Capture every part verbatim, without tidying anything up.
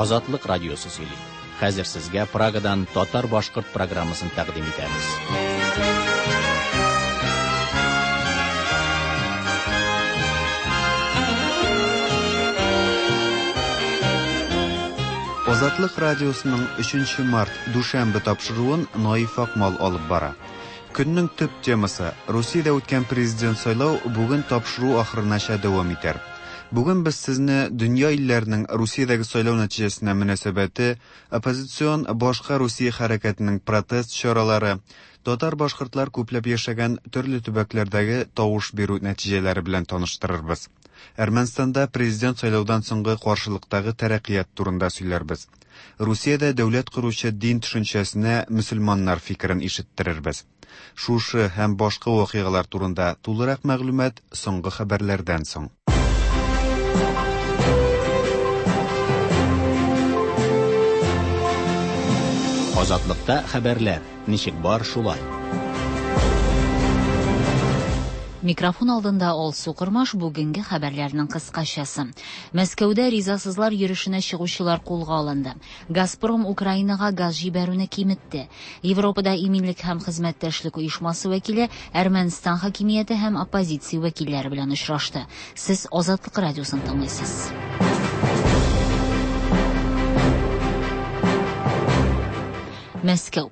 Азатлык радиосы сөйли. Хәзер сезгә Прагадан татар-башкорт программасын тәкъдим итәбез. Азатлык радиосының өченче март дүшәмбе тапшыруын Наиф Акмал алып бара. Көннең төп темасы Русиядә үткән президент сайлау бүген тапшыру ахырынача дәвам итәр. Бүген без сезне дөнья илләренең Русиядәге сайлау нәтиҗәсенә мөнәсәбәте, оппозицион башка Русия хәрәкәтенең протест чаралары, татар-башкортлар күпләп яшәгән төрле төбәкләрдәге тавыш бирү нәтиҗәләре белән таныштырырбыз. Әрмәнстанда президент сайлаудан соңгы каршылыктагы тәрәккыят турында сөйләрбез. Русиядә дәүләт коручы дин төшенчәсенә мөселманнар фикерен ишеттерербез. Шушы һәм башка вакыйгалар турында тулырак мәгълүмат соңгы хәбәрләрдән соң. Азатлыкта хәбәрләр ничек бар шулай. Микрофон алдында Алсу Кырмаш бүгенге хәбәрләрнең кыскачасы. Мәскәүдә ризасызлар йөрешенә чыгучылар кулга алынды. Газпром Украинага газ җибәрүне киметте. Европада иминлек һәм хезмәттәшлек оешмасы вәкиле Әрмәнстан хакимияте һәм оппозиция вәкилләре белән очрашты. Сез Азатлык радиосын тыңлыйсыз. Мәскәү.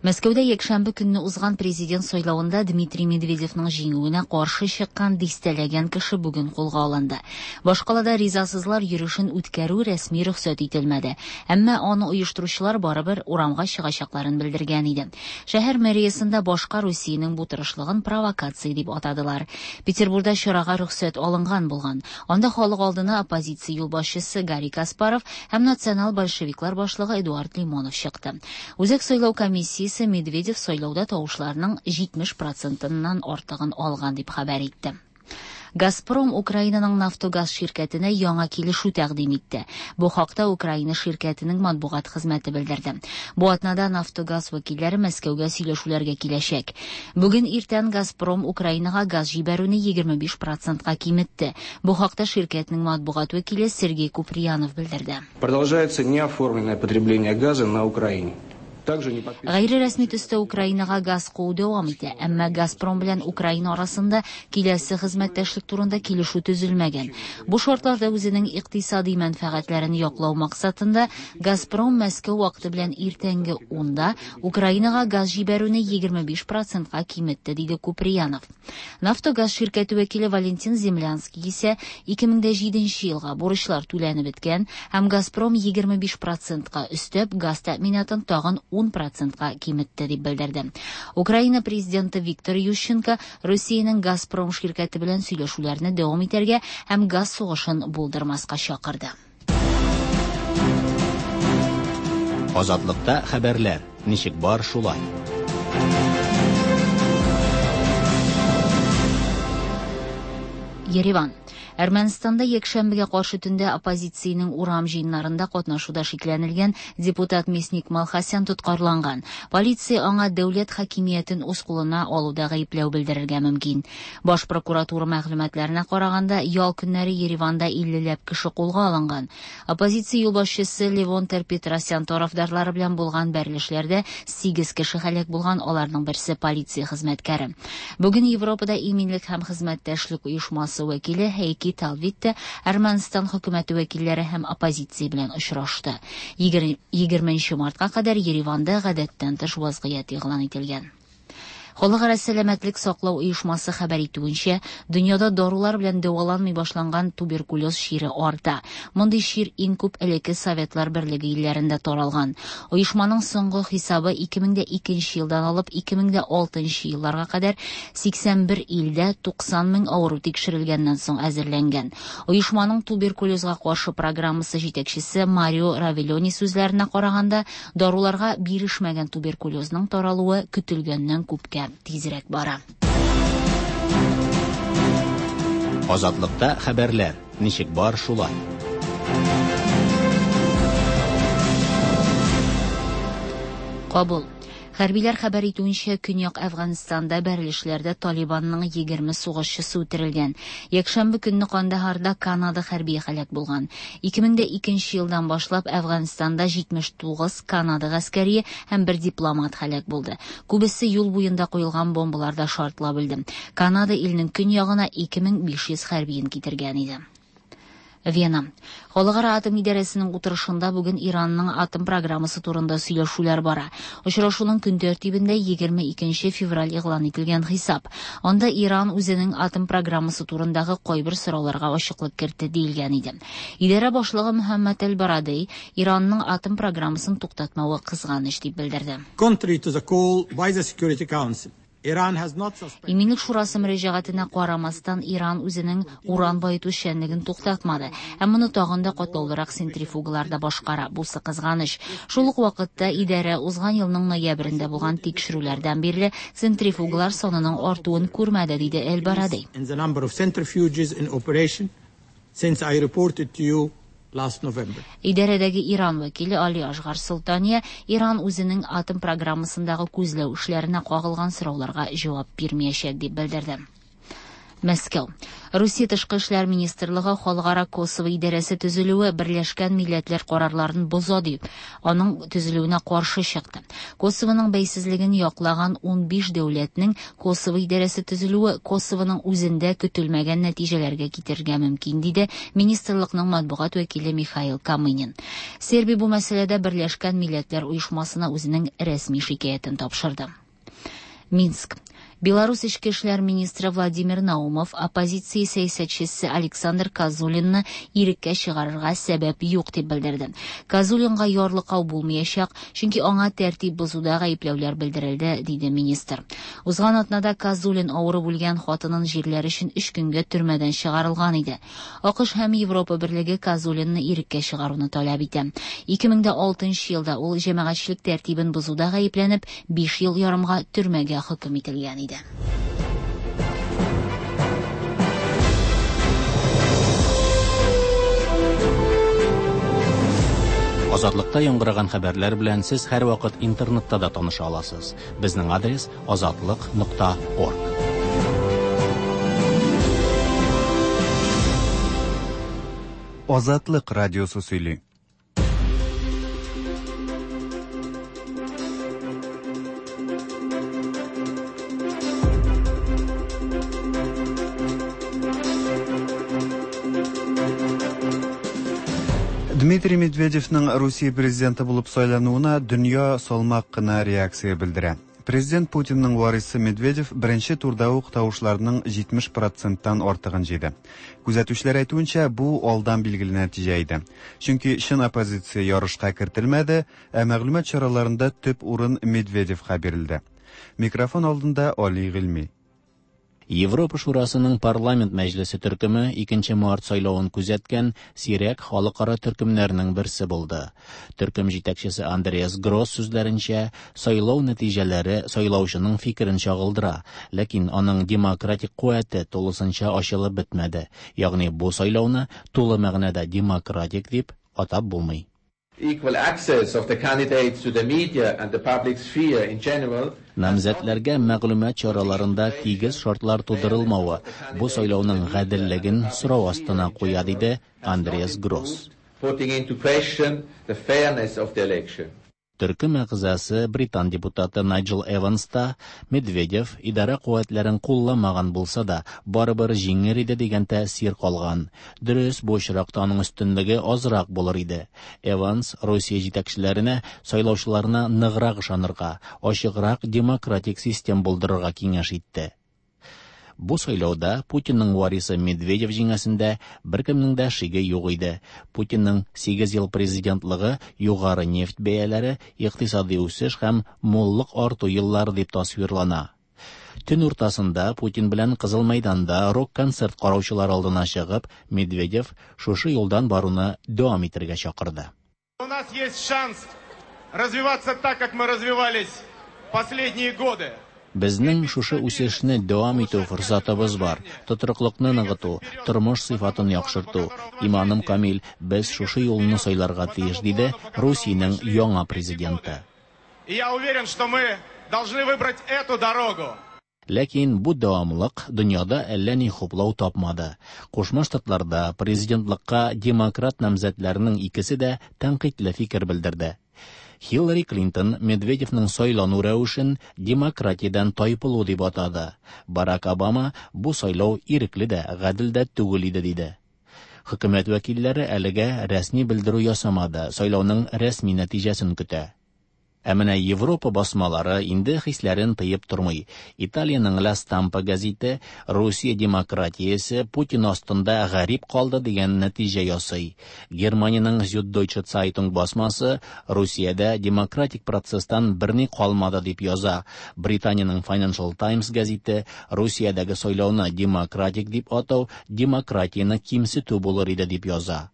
Мәскәүдә якшәмбе көнне узган президент сайлавында Дмитрий Медведевның җиңүенә каршы чыккан дистәләгән кеше бүген кулга алынды. Башкалада ризасызлар йөрешен үткәрү рәсми рөхсәт ителмәде. Әмма аны оештыручылар барыбер урамга чыгачакларын белдергән иде. Шәһәр мэриясендә башка Русиянең бу тырышлыгын провокация дип атадылар. Петербургда чарага рөхсәт алынган булган. Анда халык алдына оппозиция юлбашчысы Гарри Каспаров һәм национал большевиклар башлыгы Эдуард Лимонов чыкты. Үзәк сайлау комиссиясе Медведев сайлауда тавышларның җитмеш процентыннан артыгын алган дип хәбәр итте. Газпром Украинаның Нафтогаз ширкәтенә яңа килешү тәкъдим итте. Бу хакта Украина ширкәтенең матбугат хезмәте белдерде. Бу атнада Нафтогаз вәкилләре Мәскәүгә сөйләшүләргә киләчәк. Бүген иртән Газпром Украинага газ җибәрүне егерме биш процентка киметте. Бу хакта ширкәтнең матбугат вәкиле Сергей Куприянов белдерде. Продолжается неоформленное потребление газа на Украине. Гайре рәсми төстә Украинага газ куу дәвам итә, әмма Газпром белән Украина арасында киләсе хезмәттәшлек турында килешү төзелмәгән. Бу шартларда үзенең икътисади мәнфәгатьләрен яклау максатында Газпром Мәскәү вакыты белән иртәнге унда Украинага газ җибәрүне егерме биш процентка киметте, диде Куприянов. Нафтогаз ширкәте вәкиле Валентин Землянский исә ике мең дә җиденче елга бурычлар түләнеп беткән һәм Газпром егерме биш процентка өстәп газ тәэминатын тагын ун процентка киметте дип белдерде. Украина президенты Виктор Ющенко Русиянең Газпром ширкәте белән сөйләшүләрне дәвам итәргә һәм газ сугышын булдырмаска чакырды. Азатлыкта хәбәрләр ничек бар шулай. Ереван. Әрмәнстанда якшәмбегә каршы төндә оппозициянең урам җыеннарында катнашуда шикләнелгән депутат Мясник Малхасян тоткарланган. Полиция аңа дәүләт хакимиятен үз кулына алуда гаепләү белдерергә мөмкин. Баш прокуратура мәгълүматларына караганда, ял көннәре Ереванда иллеләп кеше кулга алынган. Оппозиция юлбашчысы Левон Тер-Петросян тарафдарлары белән булган бәрелешләрдә сигез кеше һәлак булган, аларның берсе полиция хезмәткәре. Бүген Европада иминлек һәм хезмәттәшлек оешмасы вәкиле Хейки Талвитте Әрмәнстан хөкүмәте вәкилләре һәм оппозиция белән очрашты. егерменче мартка кадәр Ереванда гадәттән тыш вазгыять игълан ителгән. Халыкара сәламәтлек саклау оешмасы хәбәр итүенчә, дөньяда дарулар белән дәваланмый башланган туберкулез чире арта. Мондый чир иң күп элекке Советлар Берлеге илләрендә таралган. Оешманың соңгы хисабы ике мең дә икенче елдан алып ике мең дә алтынчы елларга кадәр сиксән бер илдә туксан мең авыру тикшерелгәннән соң әзерләнгән. Оешманың туберкулезга каршы программасы җитәкчесе Марио Равеллони сүзләренә караганда, даруларга бирешмәгән туберкулезның таралуы көтелгәннән күпкә тизрәк бара. Азатлыкта хәбәрләр ничек бар шулай. Кабул. Хәрбиләр хәбәр итүенчә, Көньяк Әфганстанда бәрелешләрдә Талибанның егерме сугышчысы үтерелгән. Якшәмбе көнне Кандаһарда Канада хәрбие һәлак булган. ике мең дә икенче елдан башлап Әфганстанда җитмеш тугыз Канада гаскәрие һәм бер дипломат һәлак булды. Күбесе юл буенда куелган бомбаларда шартлап үлде. Канада илнең көньягына ике мең биш йөз хәрбиен китергән иде. Вена. Халыкара атом идарәсенең утырышында бүген Иранның атом программасы турында сөйләшүләр бара. Очрашуның көн тәртибендә егерме икенче февраль игълан ителгән хисап. Анда Иран үзенең атом программасы турындагы кайбер сорауларга ачыклык кертте диелгән иде. Идарә башлыгы Мөхәммәд Әл-Барадей Иранның атом программасын туктатмавы кызганыч дип белдерде. Contrary to the call by the Security Council, Iran has not suspended. Иминлек шурасы мөрәҗәгатенә карамастан, Иран үзенең уран баету эшчәнлеген туктатмады. Һәм моны тагын да катлаулырак центрифугаларда башкара. Бусы кызганыч. Шул ук вакытта идарә узган елның ноябрендә булган тикшерүләрдән бирле центрифугалар санының артуын күрмәде, диде Әл-Барадей. In the number of centrifuges in operation since I reported to you last November. Идарәдәге Иран вәкиле Али Ашгар Солтания Иран үзенең атом программасындагы күзләү эшләренә кагылган сорауларга җавап бирмәячәк дип белдерде. Мәскәү. Русия Тышкы эшләр министрлыгы Халыкара Косово идарәсе төзелүе Берләшкән Милләтләр карарларын боза дип, аның төзелүенә каршы чыкты. Косованың бәйсезлеген яклаган ун биш дәүләтнең Косово идарәсе төзелүе Косованың үзендә көтелмәгән нәтиҗәләргә китерергә мөмкин, диде министрлыкның матбугат вәкиле Михаил Камынин. Сербия бу мәсьәләдә Берләшкән Милләтләр Оешмасына үзенең рәсми шикаятен тапшырды. Минск. Беларусь эчке эшләр министры Владимир Наумов оппозиция сәясәтчесе Александр Козулинны иреккә чыгарырга сәбәп юк дип белдерде. Козулинга ярлыкау булмаячак, чөнки аңа тәртип бозуда гаепләүләр белдерелде, диде министр. Узган атнада Козулин авырып үлгән хатынын җирләр өчен өч көнгә төрмәдән чыгарылган иде. АКШ һәм Европа берлеге Козулинны иреккә чыгаруны таләп итә. Ике мең дә алтынчы елда ул җәмәгатьчелек тәртибен бозуда гаепләнеп, биш ел ярымга төрмәгә хөкем ителгән иде. Азатлыкта яңгыраган хәбәрләр белән сез һәрвакыт интернетта да таныша аласыз. Безнең адрес азатлык нокта орг. Азатлык радиосы сөйли. Дмитрий Медведевның Русия президенты булып сайлануына дөнья салмак кына реакция белдерә. Президент Путинның варисы Медведев беренче турда ук тавышларның җитмеш проценттан артыгын җыйды. Күзәтүчеләр әйтүенчә, бу алдан билгеле нәтиҗә иде. Чөнки чын оппозиция ярышка кертелмәде, ә мәгълүмат чараларында төп урын Медведевка бирелде. Микрофон алдында Али Гыйльми. Европа Шурасының парламент мәҗлесе төркеме икенче март сайлавын күзәткән сирәк халыкара төркемнәрнең берсе булды. Төркем җитәкчесе Андреас Гросс сүзләренчә, сайлау нәтиҗәләре сайлаучының фикерен чагылдыра, ләкин аның демократик куәте тулысынча ачылып бетмәде. Ягъни бу сайлауны тулы мәгънәдә демократик дип атап булмый. Equal access of the candidates to the media and the public sphere in general. Намзәтләргә мәгълүмат чараларында тигез шартлар тудырылмавы бу сайлауның гаделлеген сорау астына куя, диде Андреас Гросс. Putting into question the fairness of the election. Төркем әгъзасы британ депутаты Найджел Эванс та Медведев идарә куәтләрен кулламаган булса да, барыбер җиңер иде дигән тәэсир калган. Дөрес, бу очракта аның өстенлеге азрак булыр иде. Эванс Русия җитәкчеләренә сайлаучыларына ныграк ышанырга, ачыграк демократик систем булдырырга киңәш итте. Бу сайлауда Путинның варисы Медведев җиңәсендә беркемнең дә шиге юк иде. Путинның сигез ел президентлыгы югары нефть бәяләре, икътисади үсеш һәм муллык арту еллары дип тасвирлана. Төн уртасында Путин белән Кызыл мәйданда рок-концерт караучылар алдына чыгып, Медведев шушы юлдан баруны дәвам итәргә чакырды. У нас есть шанс развиваться так, как мы развивались последние годы. Безнең шушы үсешне дәвам итү форсатыбыз бар. Тотрыклыкны ныгыту, тормыш сыйфатын яхшырту. Иманым камил, без шушы юлны сайларга тиеш, диде Русиянең яңа президенты. И я уверен, что мы должны выбрать эту дорогу. Ләкин бу дәвамлык дөньяда әллә ни хуплау тапмады. Кушма Штатларда президентлыкка демократ намзәтләренең икесе дә тәнкыйтьле фикер белдерде. Хиллари Клинтон Медведевның сайлану рәвешен демократиядән тайпылу дип атады. Барак Обама бу сайлау ирекле дә, гадел дә түгел иде диде. Хөкүмәт вәкилләре әлегә рәсми белдерү ясамады, сайлауның рәсми нәтиҗәсен көтә. Ә менә Европа басмалары инде хисләрен тыеп тормый. Италиянең La Stampa газеты Русия демократиясе Путин астында гарип калды дигән нәтиҗә ясый. Германиянең Süddeutsche Zeitung басмасы Русиядә демократик процесстан берни калмады дип яза. Британиянең Financial Times газеты Русиядәге сайлауны демократик дип атау демократияне кимсетү булыр иде дип яза.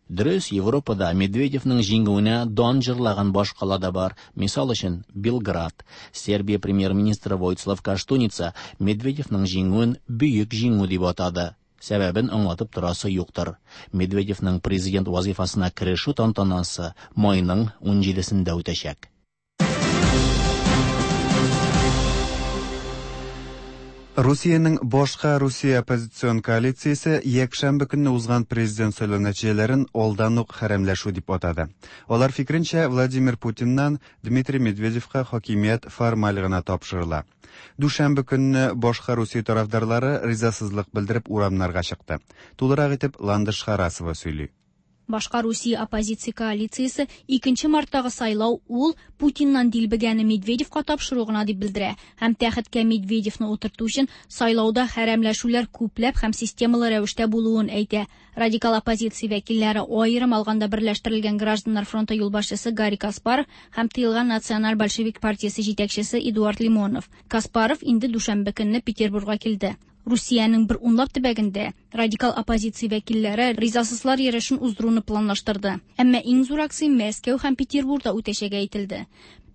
Дөрес, Европада Медведевның җиңүенә дан җырлаган башкала да бар. Мисал өчен, Белград. Сербия премьер-министры Войцлав Каштуница Медведевның җиңүен бөек җиңү дип атады. Сәбәбен аңлатып торасы юктыр. Медведевның президент вазифасына керешү тантанасы майның унҗидесендә үтәчәк. Русиянең башка Русия оппозицион коалициясе якшәмбе көнне узган президент сайлау нәтиҗәләрен алдан ук хәрәмләшү дип атады. Алар фикеренчә, Владимир Путиннан Дмитрий Медведевка хакимият формаль гына тапшырыла. Дүшәмбе көнне башка Русия тарафдарлары ризасызлык белдереп урамнарга чыкты. Тулырак итеп Ландыш Харасова сөйли. Башка Русия оппозиция коалициясе икенче марттагы сайлау ул Путиннан дилбегәне Медведевка тапшыру гына дип белдерә һәм тәхеткә Медведевны утырту өчен сайлауда хәрәмләшүләр күпләп һәм системалы рәвештә булуын әйтә. Радикал оппозиция вәкилләре аерым алганда берләштерелгән Гражданнар фронты юлбашчысы Гарри Каспаров һәм тыелган Националь большевик партиясе җитәкчесе Эдуард Лимонов. Каспаров инде дүшәмбе көнне Петербургка килде. Русиянең бер унлап төбәгендә радикал оппозиция вәкилләре ризасызлар йөрешен уздыруны планлаштырды. Әмма иң зур акция Мәскәү һәм Петербургда үтәчәге әйтелде.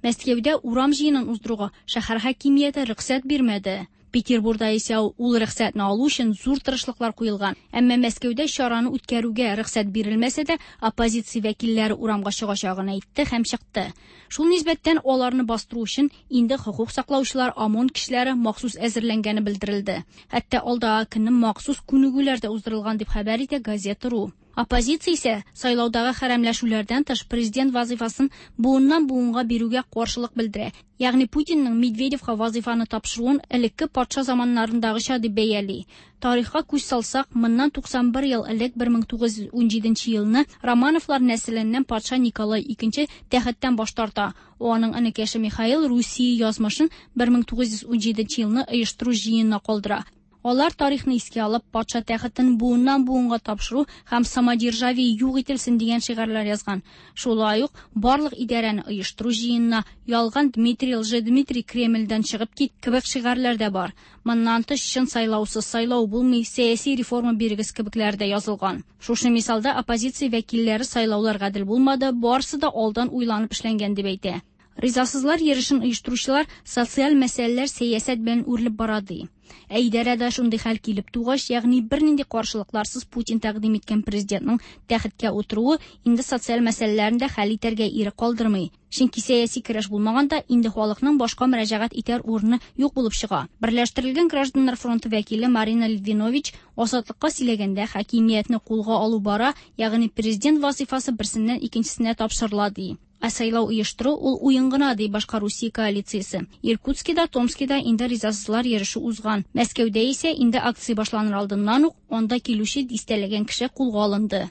Мәскәүдә урам җыенын уздыруга шәһәр хакимияте рөхсәт бирмәде. Петербургда исә ул рөхсәтне алу өчен зур тырышлыклар куелган. Әмма Мәскәүдә чараны үткәрүгә рөхсәт бирелмәсә дә, оппозиция вәкилләре урамга чыгачагын әйтте һәм чыкты. Шул нисбәттән аларны бастыру өчен инде хокук саклаучылар ОМОН кешеләре махсус әзерләнгәне белдерелде. Хәтта алдагы көнне махсус күнегүләр дә уздырылган дип хәбәр итә Газета.ру. Оппозиция исә сайлаудагы хәрәмләшүләрдән тыш президент вазифасын буыннан буынга бирүгә каршылык белдерә. Ягъни Путинның Медведевка вазифаны тапшыруын элекке патша заманнарындагыча дип бәяли. Тарихка күз салсак, моннан туксан бер ел элек бер мең тугыз йөз унҗиденче елны Романовлар нәселеннән патша Николай икенче тәхеттән баш тарта. Аның энекәше Михаил Русия язмышын бер мең тугыз йөз унҗиденче елны оештыру җыенына калдыра. Алар тарихны искә алып, патша тәхетен буыннан буынга тапшыру һәм самодержавие юк ителсен дигән шигарьләр язган. Шулай ук барлык идарәне оештыру җыенына ялган Дмитрий Лжедмитрий Кремльдән чыгып кит кебек шигарьләр дә бар. Моннан тыш чын сайлаусыз сайлау булмый, сәяси реформа бирегез кебекләр дә язылган. Шушы мисалда оппозиция вәкилләре сайлаулар гадел булмады, барысы да алдан уйланып эшләнгән дип әйтә. Ризасызлар йөрешен оештыручылар социаль мәсьәләләр сәясәт белән үрелеп бара ди. Ә идарәдә шундый хәл килеп тугач, ягъни бернинди каршылыкларсыз Путин тәкъдим иткән президентның тәхеткә утыруы инде социаль мәсьәләләрне дә хәл итәргә ирек калдырмый. Чөнки сәяси көрәш булмаганда инде халыкның башка мөрәҗәгать итәр урыны юк булып чыга. Берләштерелгән Гражданнар фронты вәкиле Марина Литвинович Азатлыкка сөйләгәндә хакимиятне кулга алу бара, ягъни президент вазифасы берсеннән икенчесенә тапшырыла ди. Ә сайлау оештыру ул уен гына ди башка Русия коалициясе. Иркутскида, Томскида инде ризасызлар йөреше узган. Мәскәүдә исә инде акция башланыр алдыннан ук анда килүче дистәләгән кеше кулга алынды.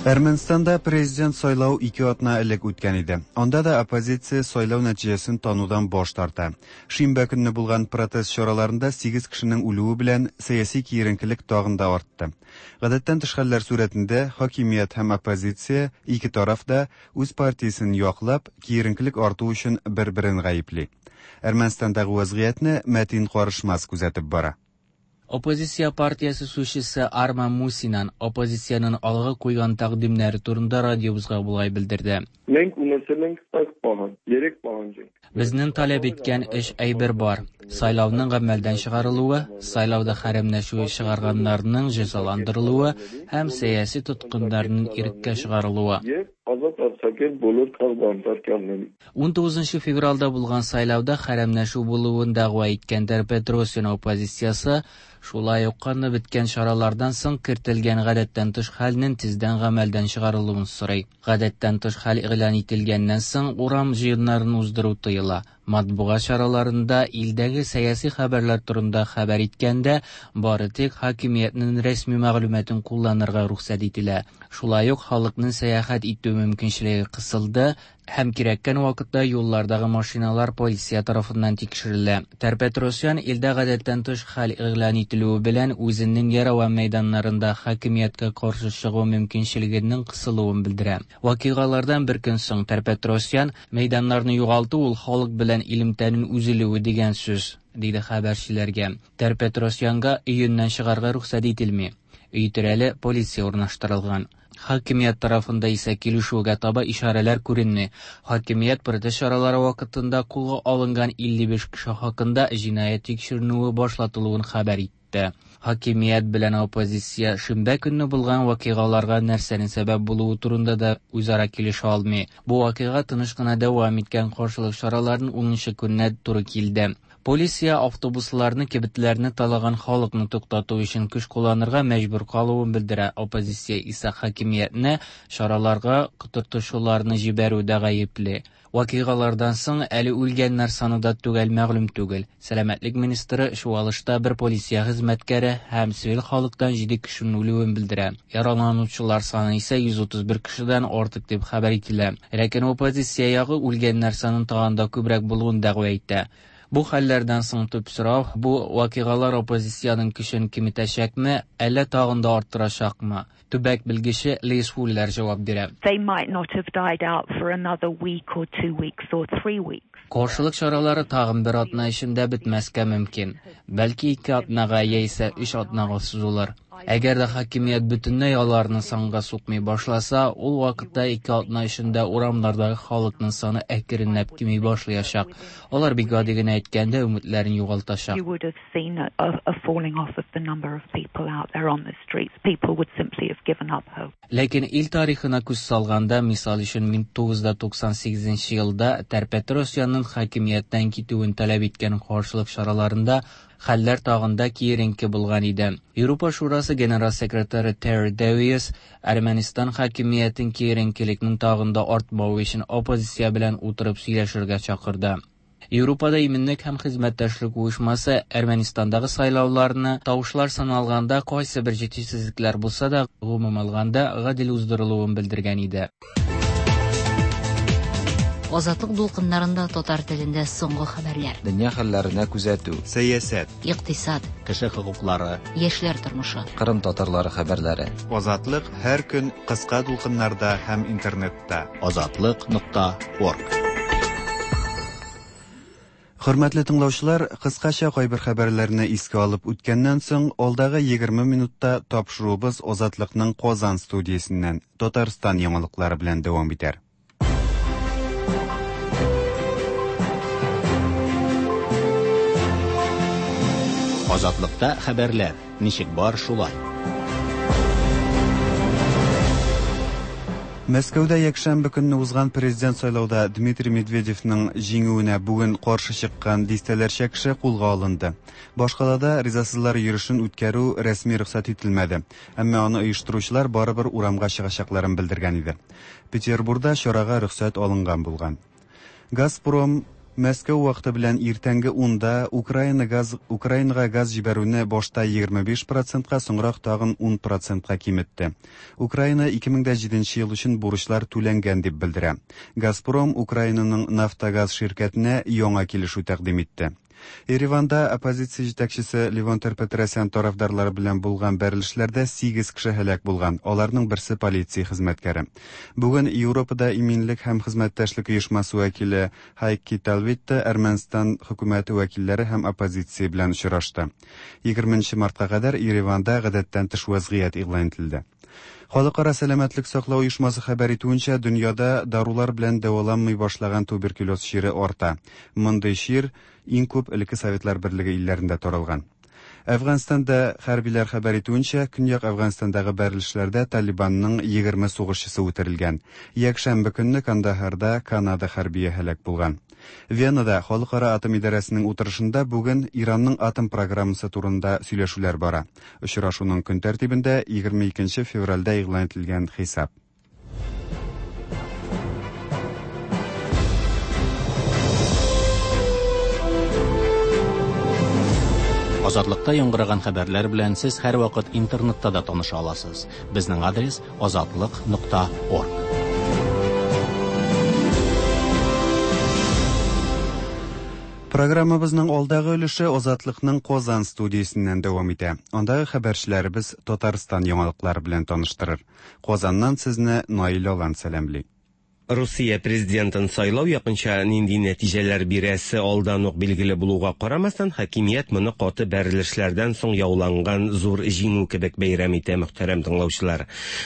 Әрмәнстанда президент сайлау ике атна элек үткән иде. Анда да оппозиция сайлау нәтиҗәсен танудан баш тарта. Шимбә көнне булган протест чараларында сигез кешенең үлүе белән сәяси киеренкелек тагын да артты. Гадәттән тыш хәлләр сурәтендә хакимият һәм оппозиция ике тараф да үз партиясен яклап, киеренкелек арту өчен бер-берен гаепли. Әрмәнстандагы вазгыятьне Мәтин Карышмас күзәтеп бара. Оппозиция партиясе сүзчесе Арман Мусинан оппозициянең алга куйган тәкъдимнәре турында радиобызга болай белдерде. Մենք ունեցել ենք հստակ պահանջ, երեք պահանջ ենք. Безнең таләп иткән өч әйбер бар: сайлауның гамәлдән чыгарылуы, сайлауда хәрәмләшү чыгарганнарның җәзаландырылуы һәм сәяси тоткыннарның иреккә чыгарылуы. Եվ ազատ արձակել բոլոր քաղբանտարկյալներին։ Унтугызынчы февральдә булган сайлауда хәрәмләшү булуын дәгъва иткән Тер-Петросян оппозициясе шулай ук канлы беткән чаралардан соң кертелгән гадәттән тыш хәлнең тиздән гамәлдән чыгарылуын сорый. Гадәттән тыш хәл игълан ителгәннән соң урам җыеннарын уздыру тыела. Матбугат чараларында илдәге сәяси хәбәрләр турында хәбәр иткәндә бары тик хакимиятнең рәсми мәгълүматын кулланырга рөхсәт ителә. Шулай ук халыкның сәяхәт итү мөмкинчелеге кысылды һәм кирәккән вакытта юллардагы машиналар полиция тарафыннан тикшерелә. Тер-Петросян илдә гадәттән тыш хәл игълан ителүе белән үзенең Ереван мәйданнарында хакимияткә каршы чыгу мөмкинчелегенең кысылуын белдерә. Вакыйгалардан бер көн соң Тер-Петросян мәйданнарны югалту ул халык белән элемтәнең өзелүе дигән сүз, диде хәбәрчеләргә. Тер-Петросянга өеннән чыгарга рөхсәт ителми. Өй тирәле полиция урнаштырылган. Хакимият тарафында исә килешүгә таба ишарәләр күренми. Хакимият протест чаралары вакытында кулга алынган илле биш кеше хакында җинаять тикшеренүе башлатылуын хәбәр итте. Хакимият белән оппозиция шимбә көнне булган вакыйгаларга нәрсәнең сәбәп булуы турында да үзара килешә алмый. Бу вакыйга тыныч кына дәвам иткән каршылык чараларының унынчы көненә туры килде. Полиция автобусларны, кибетләрне талаган халыкны туктату өчен көч кулланырга мәҗбүр калуын белдерә. Оппозиция исә хакимиятне чараларга котыртучыларны җибәрүдә гаепле. Вакыйгалардан соң әле үлгәннәр саны да төгәл мәгълүм түгел. Сәламәтлек министры чуалышта бер полиция хезмәткәре һәм цивил халыктан җиде кешенең үлүен белдерә. Яраланучылар саны исә йөз утыз бер кешедән артык дип хәбәр ителә. Ләкин оппозиция ягы үлгәннәр санының тагын да күбрәк булуын дәгъва итә. Бу хәлләрдән соң төп сорау, бу вакыйгалар оппозициянең көчен киметәчәкме, әллә тагын да арттырачакмы? Төбәк белгече Лиз Фуллер җавап бирә. They might not have died out for another week or two weeks or three weeks. Каршылык чаралары тагын бер атна эчендә бетмәскә мөмкин. Бәлки ике атнага яисә өч атнага сузылыр. Әгәр дә хакимият бөтенләй аларны санга сукмый башласа, ул вакытта ике атна эчендә урамнардагы халыкның саны әкренләп кими башлаячак. Алар бик гади генә әйткәндә өметләрен югалтачак. You would have seen a, a, a falling off of the number of people out there on the streets. People would simply have given up hope. Ләкин ил тарихына күз салганда, мисал өчен, мең тугыз йөз туксан сигезенче елда Тер-Петросянның хакимияттән китүен таләп иткән каршылык чараларында хәлләр тагын да киеренке булган иде. Европа Шурасы генераль секретаре Терри Дэвис Әрмәнстан хакимиятен киеренкелекнең тагын да артмавы өчен оппозиция белән утырып сөйләшергә чакырды. Европада иминлек һәм хезмәттәшлек оешмасы Әрмәнстандагы сайлауларны тавышлар саналганда кайсы бер җитешсезлекләр булса да, гомум алганда гадел уздырылуын белдергән иде. Азатлык дулкыннарында татар телендә соңгы хәбәрләр. Дөнья хәлләренә күзәтү. Сәясәт, икътисад, кеше хокуклары, яшьләр тормышы. Кырым татарлары хәбәрләре. Азатлык һәр көн кыска дулкыннарда һәм интернетта. Азатлык нокта орг. Хөрмәтле тыңлаучылар, кыскача кайбер хәбәрләрне искә алып үткәннән соң, алдагы егерме минутта тапшыруыбыз Азатлыкның Казан студиясеннән Татарстан яңалыклары белән дәвам итәр. Азатлыкта хәбәрләр ничек бар шулай. Мәскәүдә якшәмбе көнне узган президент сайлауда Дмитрий Медведевның җиңүенә бүген каршы чыккан дистәләрчә кеше кулга алынды. Башкалада ризасызлар йөрешен үткәрү рәсми рөхсәт ителмәде, әмма аны оештыручылар барыбер урамга чыгачакларын белдергән иде. Петербургда чарага рөхсәт алынган булган. Газпром Мәскәү вакыты белән иртәнге унда Украина газ, Украинага газ җибәрүне башта егерме биш процентка, соңрак тагын ун процентка киметте. Украина ике мең дә җиденче ел өчен бурычлар түләнгән дип белдерә. Газпром Украинаның Нафтогаз ширкәтенә яңа килешү тәкъдим итте. Ереванда оппозиция җитәкчесе Левон Тер-Петросян тарафдарлары белән булган бәрелешләрдә сигез кеше һәлак булган, аларның берсе полиция хезмәткәре. Бүген Европада иминлек һәм хезмәттәшлек оешмасы вәкиле Хайки Талвитта Әрмәнстан хөкүмәте вәкилләре һәм оппозиция белән очрашты. егерменче мартка кадәр Ереванда гадәттән тыш вазгыять игълан ителде. Халыкара сәламәтлек саклау оешмасы хәбәр итүенчә, дөньяда дарулар белән дәваланмый башлаган туберкулез чире арта. Мондый чир иң күп элекке Советлар Берлеге илләрендә таралган. Әфганстанда хәрбиләр хәбәр итүенчә, Көньяк Әфганстандагы бәрелешләрдә Талибанның егерме сугышчысы үтерелгән. Якшәмбе көнне Кандаһарда Канада хәрбие һәлак булган. Венада Халыкара атом идарәсенең утырышында бүген Иранның атом программасы турында сөйләшүләр бара. Очрашуның көн тәртибендә егерме икенче февральдә игълан ителгән хисап. Азатлыкта яңгыраган хәбәрләр белән сез һәрвакыт интернетта да таныша аласыз. Безнең адрес азатлык нокта орг. Программабызның алдагы өлеше Азатлыкның Казан студиясеннән дәвам итә. Андагы хәбәрчеләребез Татарстан яңалыклары белән таныштырыр. Казаннан сезне Наил Алан сәламли. Русия президентын сайлау якынча нинди нәтиҗәләр бирәсе алдан ук билгеле булуга карамастан, хакимият моны каты бәрелешләрдән соң яуланган зур җиңү кебек бәйрәм итә, мөхтәрәм тыңлаучылар.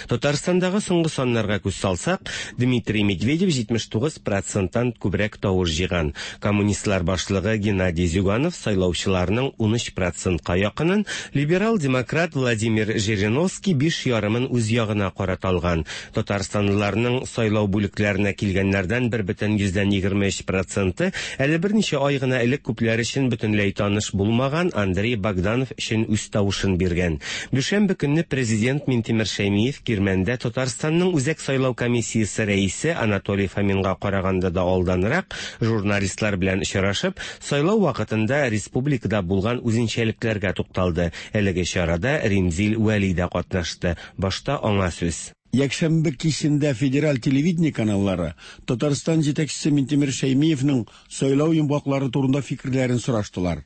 Татарстандагы соңгы саннарга күз салсак, Дмитрий Медведев җитмеш тугыз проценттан күбрәк тавыш җыйган. Коммунистлар башлыгы Геннадий Зюганов сайлаучыларның унөч процентка якынын, либерал-демократ Владимир Жириновский биш ярымын үз ягына карата алган. Татарстанлыларның сайлау бүлекләре килгәннәрдән бер бөтен йөздән егерме өч проценты әле берничә ай гына элек күпләр өчен бөтенләй таныш булмаган Андрей Богданов өчен үз тавышын биргән. Дүшәмбе көнне президент Минтимер Шәймиев Кирмәндә Татарстанның Үзәк сайлау комиссиясе рәисе Анатолий Фоминга караганда да алданрак журналистлар белән очрашып, сайлау вакытында республикада булган үзенчәлекләргә тукталды. Әлеге чарада Римзил Вәли дә катнашты. Башта аңа сүз. Якшәмбе кичендә федераль телевидение каналлары Татарстан җитәкчесе Минтимер Шәймиевның сайлау йомгаклары турында фикерләрен сораштылар.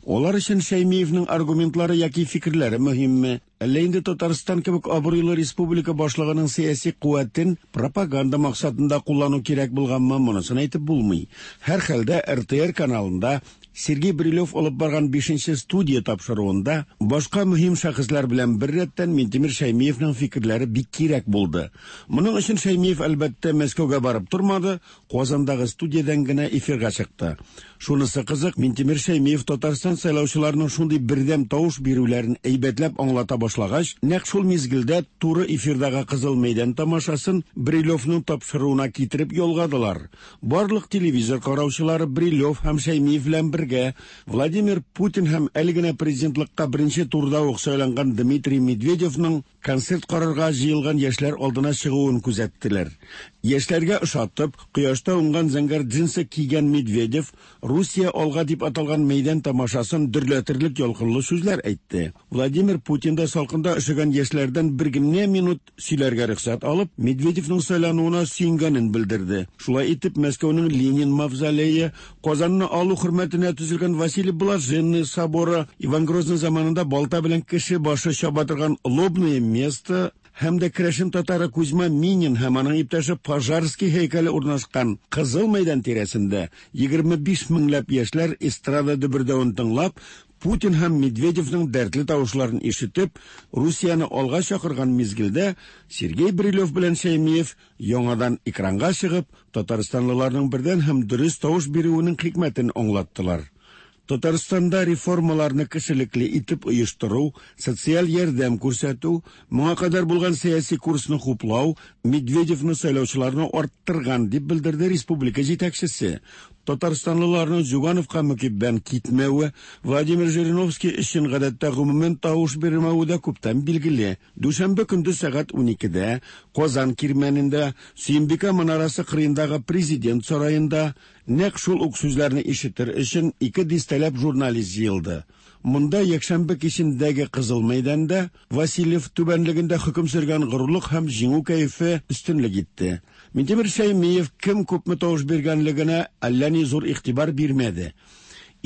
Алар өчен Шәймиевның аргументлары яки фикерләре мөһимме? Әллә инде Татарстан кебек абруйлы республика башлыгының сәяси куәтен пропаганда максатында куллану кирәк булганмы, монысын әйтеп булмый. Һәр хәлдә Р Т Р каналында Сергей Брилев алып барган бишенче студия тапшыруында башка мөһим шәхесләр белән бер рәттән Минтимер Шәймиевның фикерләре бик кирәк булды. Моның өчен Шәймиев әлбәттә Мәскәүгә барып тормады, Казандагы студиядән генә эфирга чыкты. Шунысы кызык, Минтимер Шәймиев Татарстан сайлаучыларының шундый бердәм тавыш бирүләрен әйбәтләп аңлата башлагач, нәкъ шул мизгелдә туры эфирдагы Кызыл мәйдан тамашасын Брилевның тапшыруына китереп ялгадылар. Барлык телевизор караучылары Брилев һәм Шәймиев белән бергә Владимир Путин һәм әле генә президентлыкка беренче турда ук сайланган Дмитрий Медведевның концерт карарга җыелган яшьләр алдына чыгуын күзәттеләр. Яшьләргә ошатып, кояшта уңган зәңгәр джинсы кигән Медведев Русия алга дип аталган мәйдан тамашасын дөрләтерлек ялкынлы сүзләр әйтте. Владимир Путин да салкында өшегән яшьләрдән бер генә минут сөйләргә рөхсәт алып, Медведевның сайлануына сөенгәнен белдерде. Шулай итеп, Мәскәүнең Ленин мавзолее, Казанны алу хөрмәтенә төзелгән Василий Блаженный соборы, Иван Грозный заманында балта белән кеше башы чаба торган лобное место һәм дә керәшен татары Кузьма Минин һәм аның иптәше Пожарский һәйкәле урнашкан Кызыл мәйдан тирәсендә егерме биш меңләп яшьләр эстрада дөбердәвен тыңлап, Путин һәм Медведевның дәртле тавышларын ишетеп, Русияне алга чакырган мизгелдә Сергей Брилев белән Шәймиев яңадан экранга чыгып, татарстанлыларның бердән һәм дөрес тавыш бирүенең хикмәтен аңлаттылар. Татарстанда реформаларны кешелекле итеп оештыру, социаль ярдәм күрсәтү, моңа кадәр булган сәяси курсны хуплау Медведевны сайлаучыларны арттырган дип белдерде республика җитәкчесе. Татарстанлыларның Зюгановка мөкиббән китмәве, Владимир Жириновский өчен гадәттә гомумән тавыш бирмәве дә күптән билгеле. Дүшәмбе көндез сәгать уникедә Казан Кирмәнендә Сөембикә манарасы кырыендагы президент сараенда нәкъ шул ук сүзләрне ишетер өчен ике дистәләп журналист җыелды. Монда якшәмбе кичендәге Кызыл мәйданда Васильев түбәнлегендә хөкем сөргән горурлык һәм җиңү кәефе өстенлек итте. Минтимер Шәймиев кем күпме тавыш биргәнлегенә әллә ни зур игътибар бирмәде.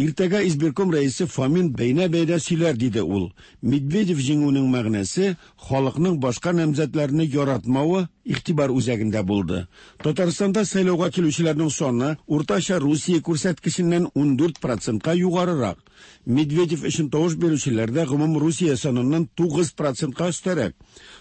Иртәгә избирком рәисе Фомин бәйнә-бәйнә сөйләр, диде ул. Медведев җиңүенең мәгънәсе халыкның башка намзәтләрне яратмавы игътибар үзәгендә булды. Татарстанда сайлауга килүчеләрнең саны уртача Русия күрсәткеченнән ундүрт процентка югарырак. Медведев өчен тавыш бирүчеләр дә гомум Русия саныннан тугыз процентка өстәрәк.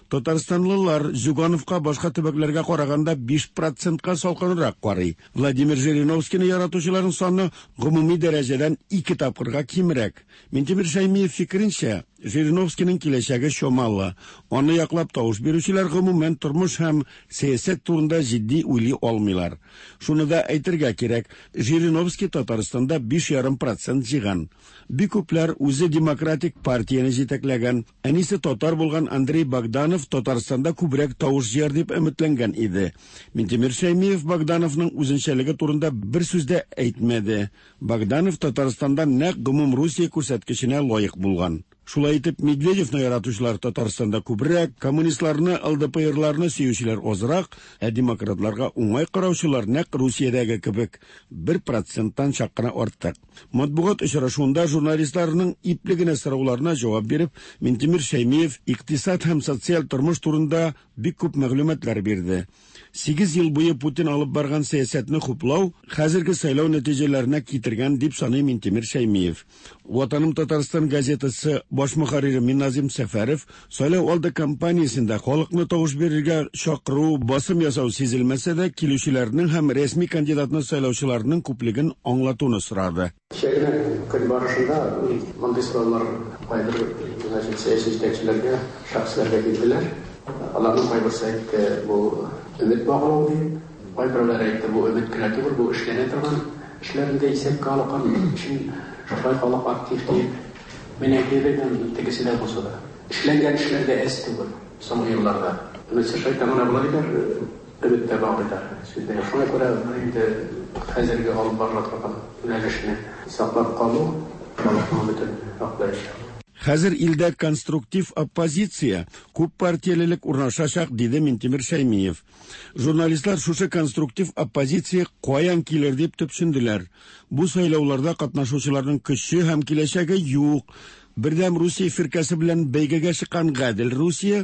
Татарстанлылар Зюгановка башка төбәкләргә караганда биш процентка салкынрак карый. Владимир Жириновскийны яратучыларның саны гомуми дәрәҗәдән ике тапкырга кимрәк. Минтимер Шәймиев фикеренчә, Жириновскийның киләчәге чамалы. Аны яклап тавыш бирүчеләр гомумән тормыш һәм сәясәт турында җитди уйлый алмыйлар. Шуны да әйтергә кирәк, Жириновский Татарстанда биш ярым процент җыйган. Бик күпләр үзе демократик партияне җитәкләгән, әнисе татар булган Андрей Богданов Татарстанда күбрәк тавыш җыяр дип өметләнгән иде. Минтимер Шәймиев Богдановның үзенчәлеге турында бер сүз дә әйтмәде. Богданов Татарстанда нәкъ гомум Русия күрсәткеченә лаек булган. Шулай итеп, Медведевны яратучылар Татарстанда күбрәк, коммунистларны, Л Д П Рларны сөючеләр азрак, ә демократларга уңай караучылар нәкъ Русиядәге кебек бер проценттан чак кына артык. Матбугат очрашуында журналистларның ипле генә сорауларына җавап биреп, Минтимер Шәймиев икътисад һәм социаль тормыш турында бик күп мәгълүматлар бирде. Сигез ел буе Путин алып барган сәясәтне хуплау хәзерге сайлау нәтиҗәләренә китергән дип саный Минтимер Шәймиев. Ватаным Татарстан газетасы баш мөхәррире Миназим Сәфәров сайлау алды кампаниясендә халыкны тавыш бирергә чакыру, басым ясау сизелмәсә дә, килүчеләрнең һәм рәсми кандидатны сайлаучыларның күплеген аңлатуны сорады. Кичә генә көн барышында мондый сораулар кайбер сәяси җитәкчеләргә, шәхесләргә килделәр. Аларның кайберсе әйтте, бу өмет баглау дип, кайберләре әйтте, бу өмет кенә түгел, бу эшләнә торган эшләрне дә исәпкә алган өчен шулай халык актив дип. Мин әйтер идем, тегесе дә булса да. Эшләнгән эшләр дә әз түгел соңгы елларда. Өметсез шайтан гына була диләр, өмет тә баглыйлар. Сүздә шуңа күрә инде хәзерге алып барыла торган юнәлешне саклап калу халыкның өметен аклаячак. Хәзер илдә конструктив оппозиция, күп партиялелек урнашачак, диде Минтимер Шәймиев. Журналистлар шушы конструктив оппозиция каян килер дип төпченделәр. Бу сайлауларда катнашучыларның көче һәм киләчәге юк. Бердәм Русия фиркәсе белән бәйгегә чыккан Гадел Русия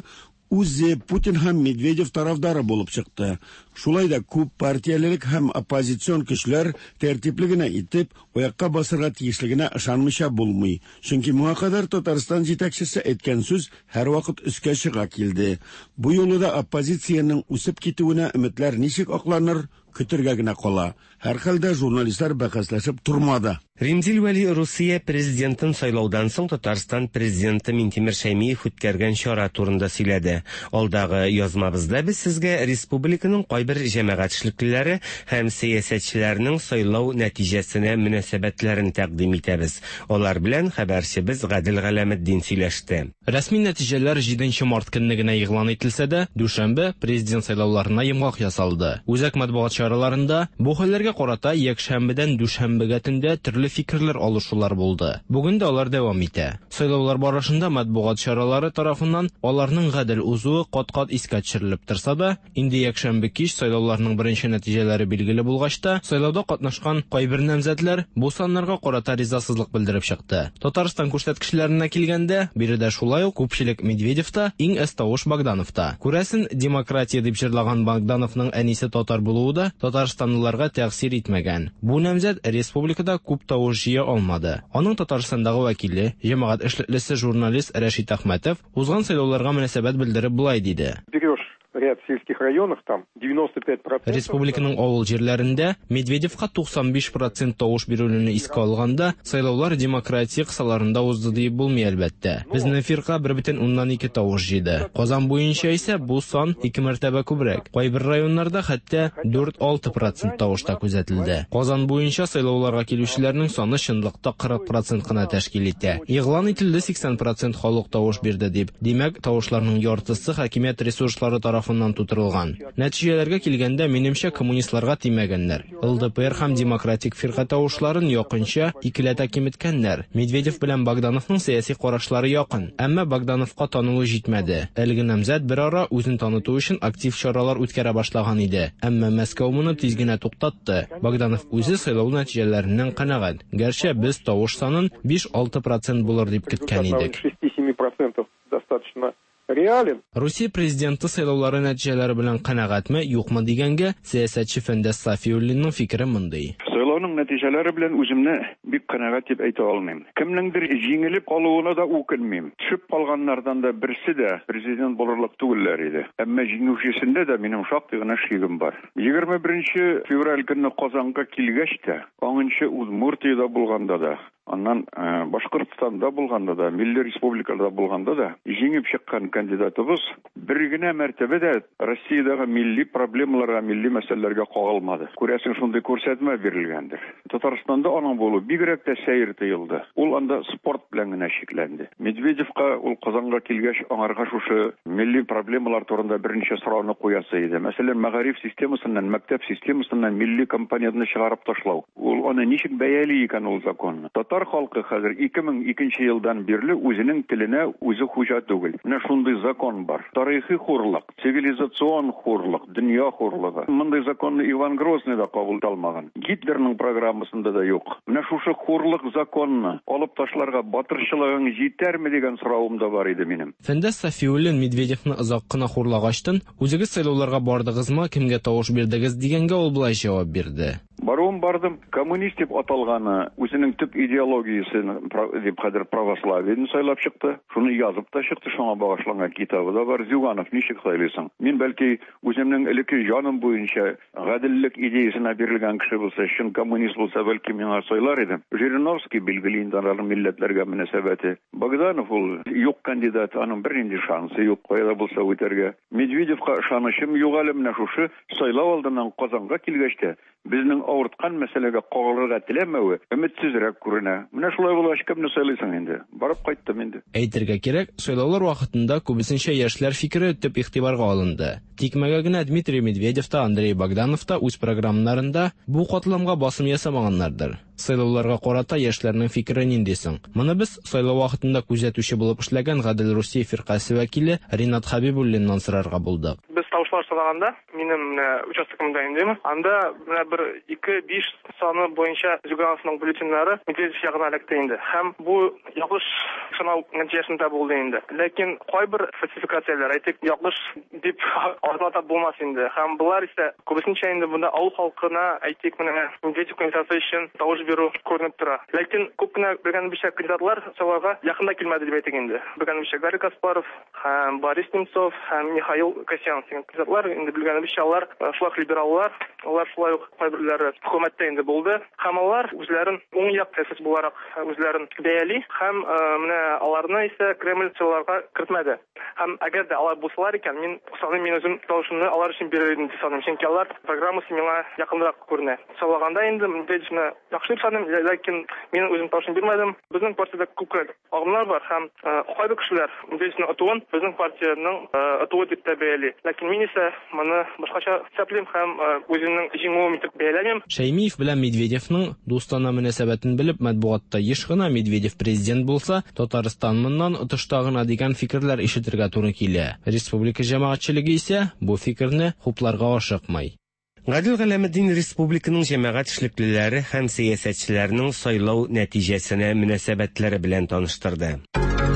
үзе Путин һәм Медведев тарафдары булып чыкты. Шулай да күп партиялелек һәм оппозицион көчләр тәртипле генә итеп аякка басырга тиешлегенә ышанмыйча булмый. Чөнки моңа кадәр Татарстан җитәкчесе әйткән сүз һәрвакыт өскә чыга килде. Бу юлы да оппозициянең үсеп китүенә өметләр ничек акланыр, көтергә генә кала. Һәрхәлдә журналистлар бәхәсләшеп тормады. Римзил Вәли Русия президентын сайлаудан соң Татарстан президенты Минтимер Шәймиев үткәргән чара турында сөйләде. Алдагы язмабызда без сезгә республиканың кайбер җәмәгать эшлеклеләре һәм сәясәтчеләренең сайлау нәтиҗәсенә мөнәсәбәтләрен тәкъдим итәбез. Алар белән хәбәрчебез Гадел Галәметдин сөйләште. Рәсми нәтиҗәләр җиденче март көнне генә игълан ителсә дә, дүшәмбе президент сайлауларына йомгак ясалды. Үзәк матбугат чараларында бу хәлләргә карата якшәмбедән дүшәмбегә төндә төрле фикерләр алышулар булды. Бүген дә алар дәвам итә. Сайлаулар барышында матбугат чаралары тарафыннан аларның гадел узуы кат-кат искә төшерелеп торса да, инде якшәмбе кич сайлауларның беренче нәтиҗәләре билгеле булгач та, сайлауда катнашкан кайбер намзәтләр бу саннарга карата ризасызлык белдереп чыкты. Татарстан күрсәткечләренә килгәндә, биредә шулай ук күпчелек Медведевта, иң әз тавыш Богдановта. Күрәсен, демократия дип җырлаган Богдановның әнисе татар булуы да татарстанлыларга тәэсир итмәгән. Бу намзәт республикада күп тавыш җыя алмады. Аның Татарстандагы вәкиле, җәмәгать эшлеклесе журналист Рәшит Әхмәтов узган сайлауларга мөнәсәбәт белдереп болай диде. Берешь ряд сельских районов, там девяносто пять процентов. Республиканың авыл җирләрендә Медведевка туксан биш процент тавыш бирүне искә алганда, сайлаулар демократия кысаларында узды диеп булмый әлбәттә. Безнең фирка бер бөтен уннан ике тавыш җыйды. Казан буенча исә бу сан ике мәртәбә күбрәк. Кайбер районнарда хәтта дүрт-алты процент тавыш та күзәтелде. Казан буенча сайлауларга килүчеләрнең саны чынлыкта кырык процент кына тәшкил итә. Игълан ителде сиксән процент халык тавыш бирде дип. Димәк, тавышларның яртысы хакимият ресурслары тарафыннан тутырылган. Нәтиҗәләргә килгәндә, минемчә, коммунистларга тимәгәннәр. Эл Дэ Пэ Эр һәм Демократик фирка тавышларын якынча икеләтә киметкәннәр. Медведев белән Богдановның сәяси карашлары якын, әмма Богдановка танылу җитмәде. Әлеге намзәт бер ара үзен таныту өчен актив чаралар үткәрә башлаган иде. Әмма Мәскәү моны тиз генә туктатты. Богданов үзе сайлау нәтиҗәләреннән канәгать. Гәрчә без тавыш санын биш-алты процент булыр дип көткән идек. шести-семи процентов достаточно реален. Русия президенты сайлаулары нәтиҗәләре белән канәгатьме, юкмы дигәнгә сәясәтче Фәндәс Сафиуллинның фикере мондый. Сайлауның нәтиҗәләре белән үземне бик канәгать дип әйтә алмыйм. Кемнеңдер җиңелеп калуына да үкенмим. Төшеп калганнардан да берсе дә президент булырлык түгелләр иде. Әмма җиңүчесендә дә минем шактый гына шигем бар. егерме беренче февраль көнне Казанга килгәч тә, аңынчы Удмуртиядә булганда да, аннан э, Башкортстанда булганда да, милли республикада булганда да җиңеп чыккан кандидатыбыз бер генә мәртәбә дә Россиядәге милли проблемаларга, милли мәсьәләләргә кагылмады. Күрәсең, шундый күрсәтмә бирелгәндер. Татарстанда аның булуы бигрәк тә сәер тоелды. Ул анда спорт белән генә чикләнде. Медведевка ул Казанга килгәч, аңарга шушы милли проблемалар турында берничә сорауны куясы иде. Мәсәлән, мәгариф системасыннан, мәктәп системасыннан милли компонентны чыгарып ташлау. Ул аны ничек бәяли икән ул законны? Татар халкы хәзер ике мең икенче елдан бирле үзенең теленә үзе хуҗа түгел. Менә шундый закон бар. Тарихи хурлык, цивилизацион хурлык, дөнья хурлыгы. Мондый законны Иван Грозный да кабул итә алмаган. Гитлерның программасында да юк. Менә шушы хурлык законны алып ташларга батырчылыгың җитәрме дигән соравым да бар иде минем. Фәндәс Сафиуллин Медведевны озак кына хурлагачтын, үзегез сайлауларга бардыгызмы, кемгә тавыш бирдегез дигәнгә ул болай җавап бирде. Баруым бардым. Коммунист дип аталганы үзенең төп идеологиясен дип хәзер православиене сайлап чыкты. Шуны язып та чыкты, шуңа багышланган китабы да бар. Зюганов ничек сайлыйсың? Мин бәлки үземнең элекке җаным буенча гаделлек идеясына бирелгән кеше булса, чын коммунист булса, бәлки миңа сайлар идем. Жириновский билгеле инде, аның милләтләргә мөнәсәбәте. Богданов ул юк кандидат, аның бернинди шансы юк кайда булса үтәргә. Медведевка ышанычым юк әле. Менә шушы сайлау алдыннан Казанга килгәч тә безнең авырткан мәсьәләгә кагылырга теләмәве өметсезрәк күренә. Менә шулай булгач, кемне сайлыйсың инде? Барып кайттым инде. Әйтергә кирәк, сайлаулар вакытында күбесенчә яшьләр фикере төп игътибарга алынды. Тикмәгә генә Дмитрий Медведев та, Андрей Богданов та үз программаларында бу катламга басым ясамаганнардыр. Сайлауларга карата яшьләрнең фикере нинди соң? Моны без сайлау вакытында күзәтүче булып эшләгән Гадел Русия фиркасе вәкиле Ринат Хабибуллиннан сорарга булдык. Без тавышлар санаганда, минем менә участогымда инде, анда менә бер ике биш саны буенча Зюгановның бюллетеньнәре Медведев ягына эләкте инде. Һәм бу ялгыш санау нәтиҗәсендә булды инде. Ләкин кайбер фальсификацияләр, әйтик, ялгыш дип атап булмас инде. Һәм болар исә күбесенчә инде монда авыл халкына, әйтик, менә Медведев кандидаты өчен тавыш бирү күренеп тора. Ләкин күп кенә белгәнебезчә кандидатлар сайлауга якын да килмәде дип әйтик инде. Белгәнебезчә, Гарри Каспаров һәм Борис Немцов һәм Михаил Касьянов дигән кандидатлар инде, белгәнебезчә, алар шулай ук либераллар, алар шулай ук кайберләре хөкүмәттә инде булды. Һәм алар үзләрен уң як сәясәт буларак үзләрен бәяли һәм менә аларны исә Кремль сайлауларга кертмәде. Һәм әгәр дә алар булсалар икән, мин саныйм, мин үзем тавышымны алар өчен бирер идем дип саныйм. Чөнки алар программасы миңа якынрак күренә. Сайлаганда инде Медведевны яхшы дип саныйм, ләкин мин үзем тавышын бирмәдем. Безнең партиядә күп кенә агымнар бар һәм кайбер кешеләр Медведевның отуын безнең партиянең отуы дип тә бәяли. Ләкин мин исә моны башкача исәплим һәм үземнең җиңүем итеп бәяләмим. Шәймиев белән Медведевның дустана мөнәсәбәтен белеп, матбугатта еш кына Медведев президент булса, Татарстан моннан отышта гына дигән фикерләр ишетергә туры килә. Республика җәмәгатьчелеге исә бу фикерне хупларга ашыкмый. Гадел Галәметдин республиканың җәмәгать эшлеклеләре һәм сәясәтчеләренең сайлау нәтиҗәсенә мөнәсәбәтләре белән таныштырды.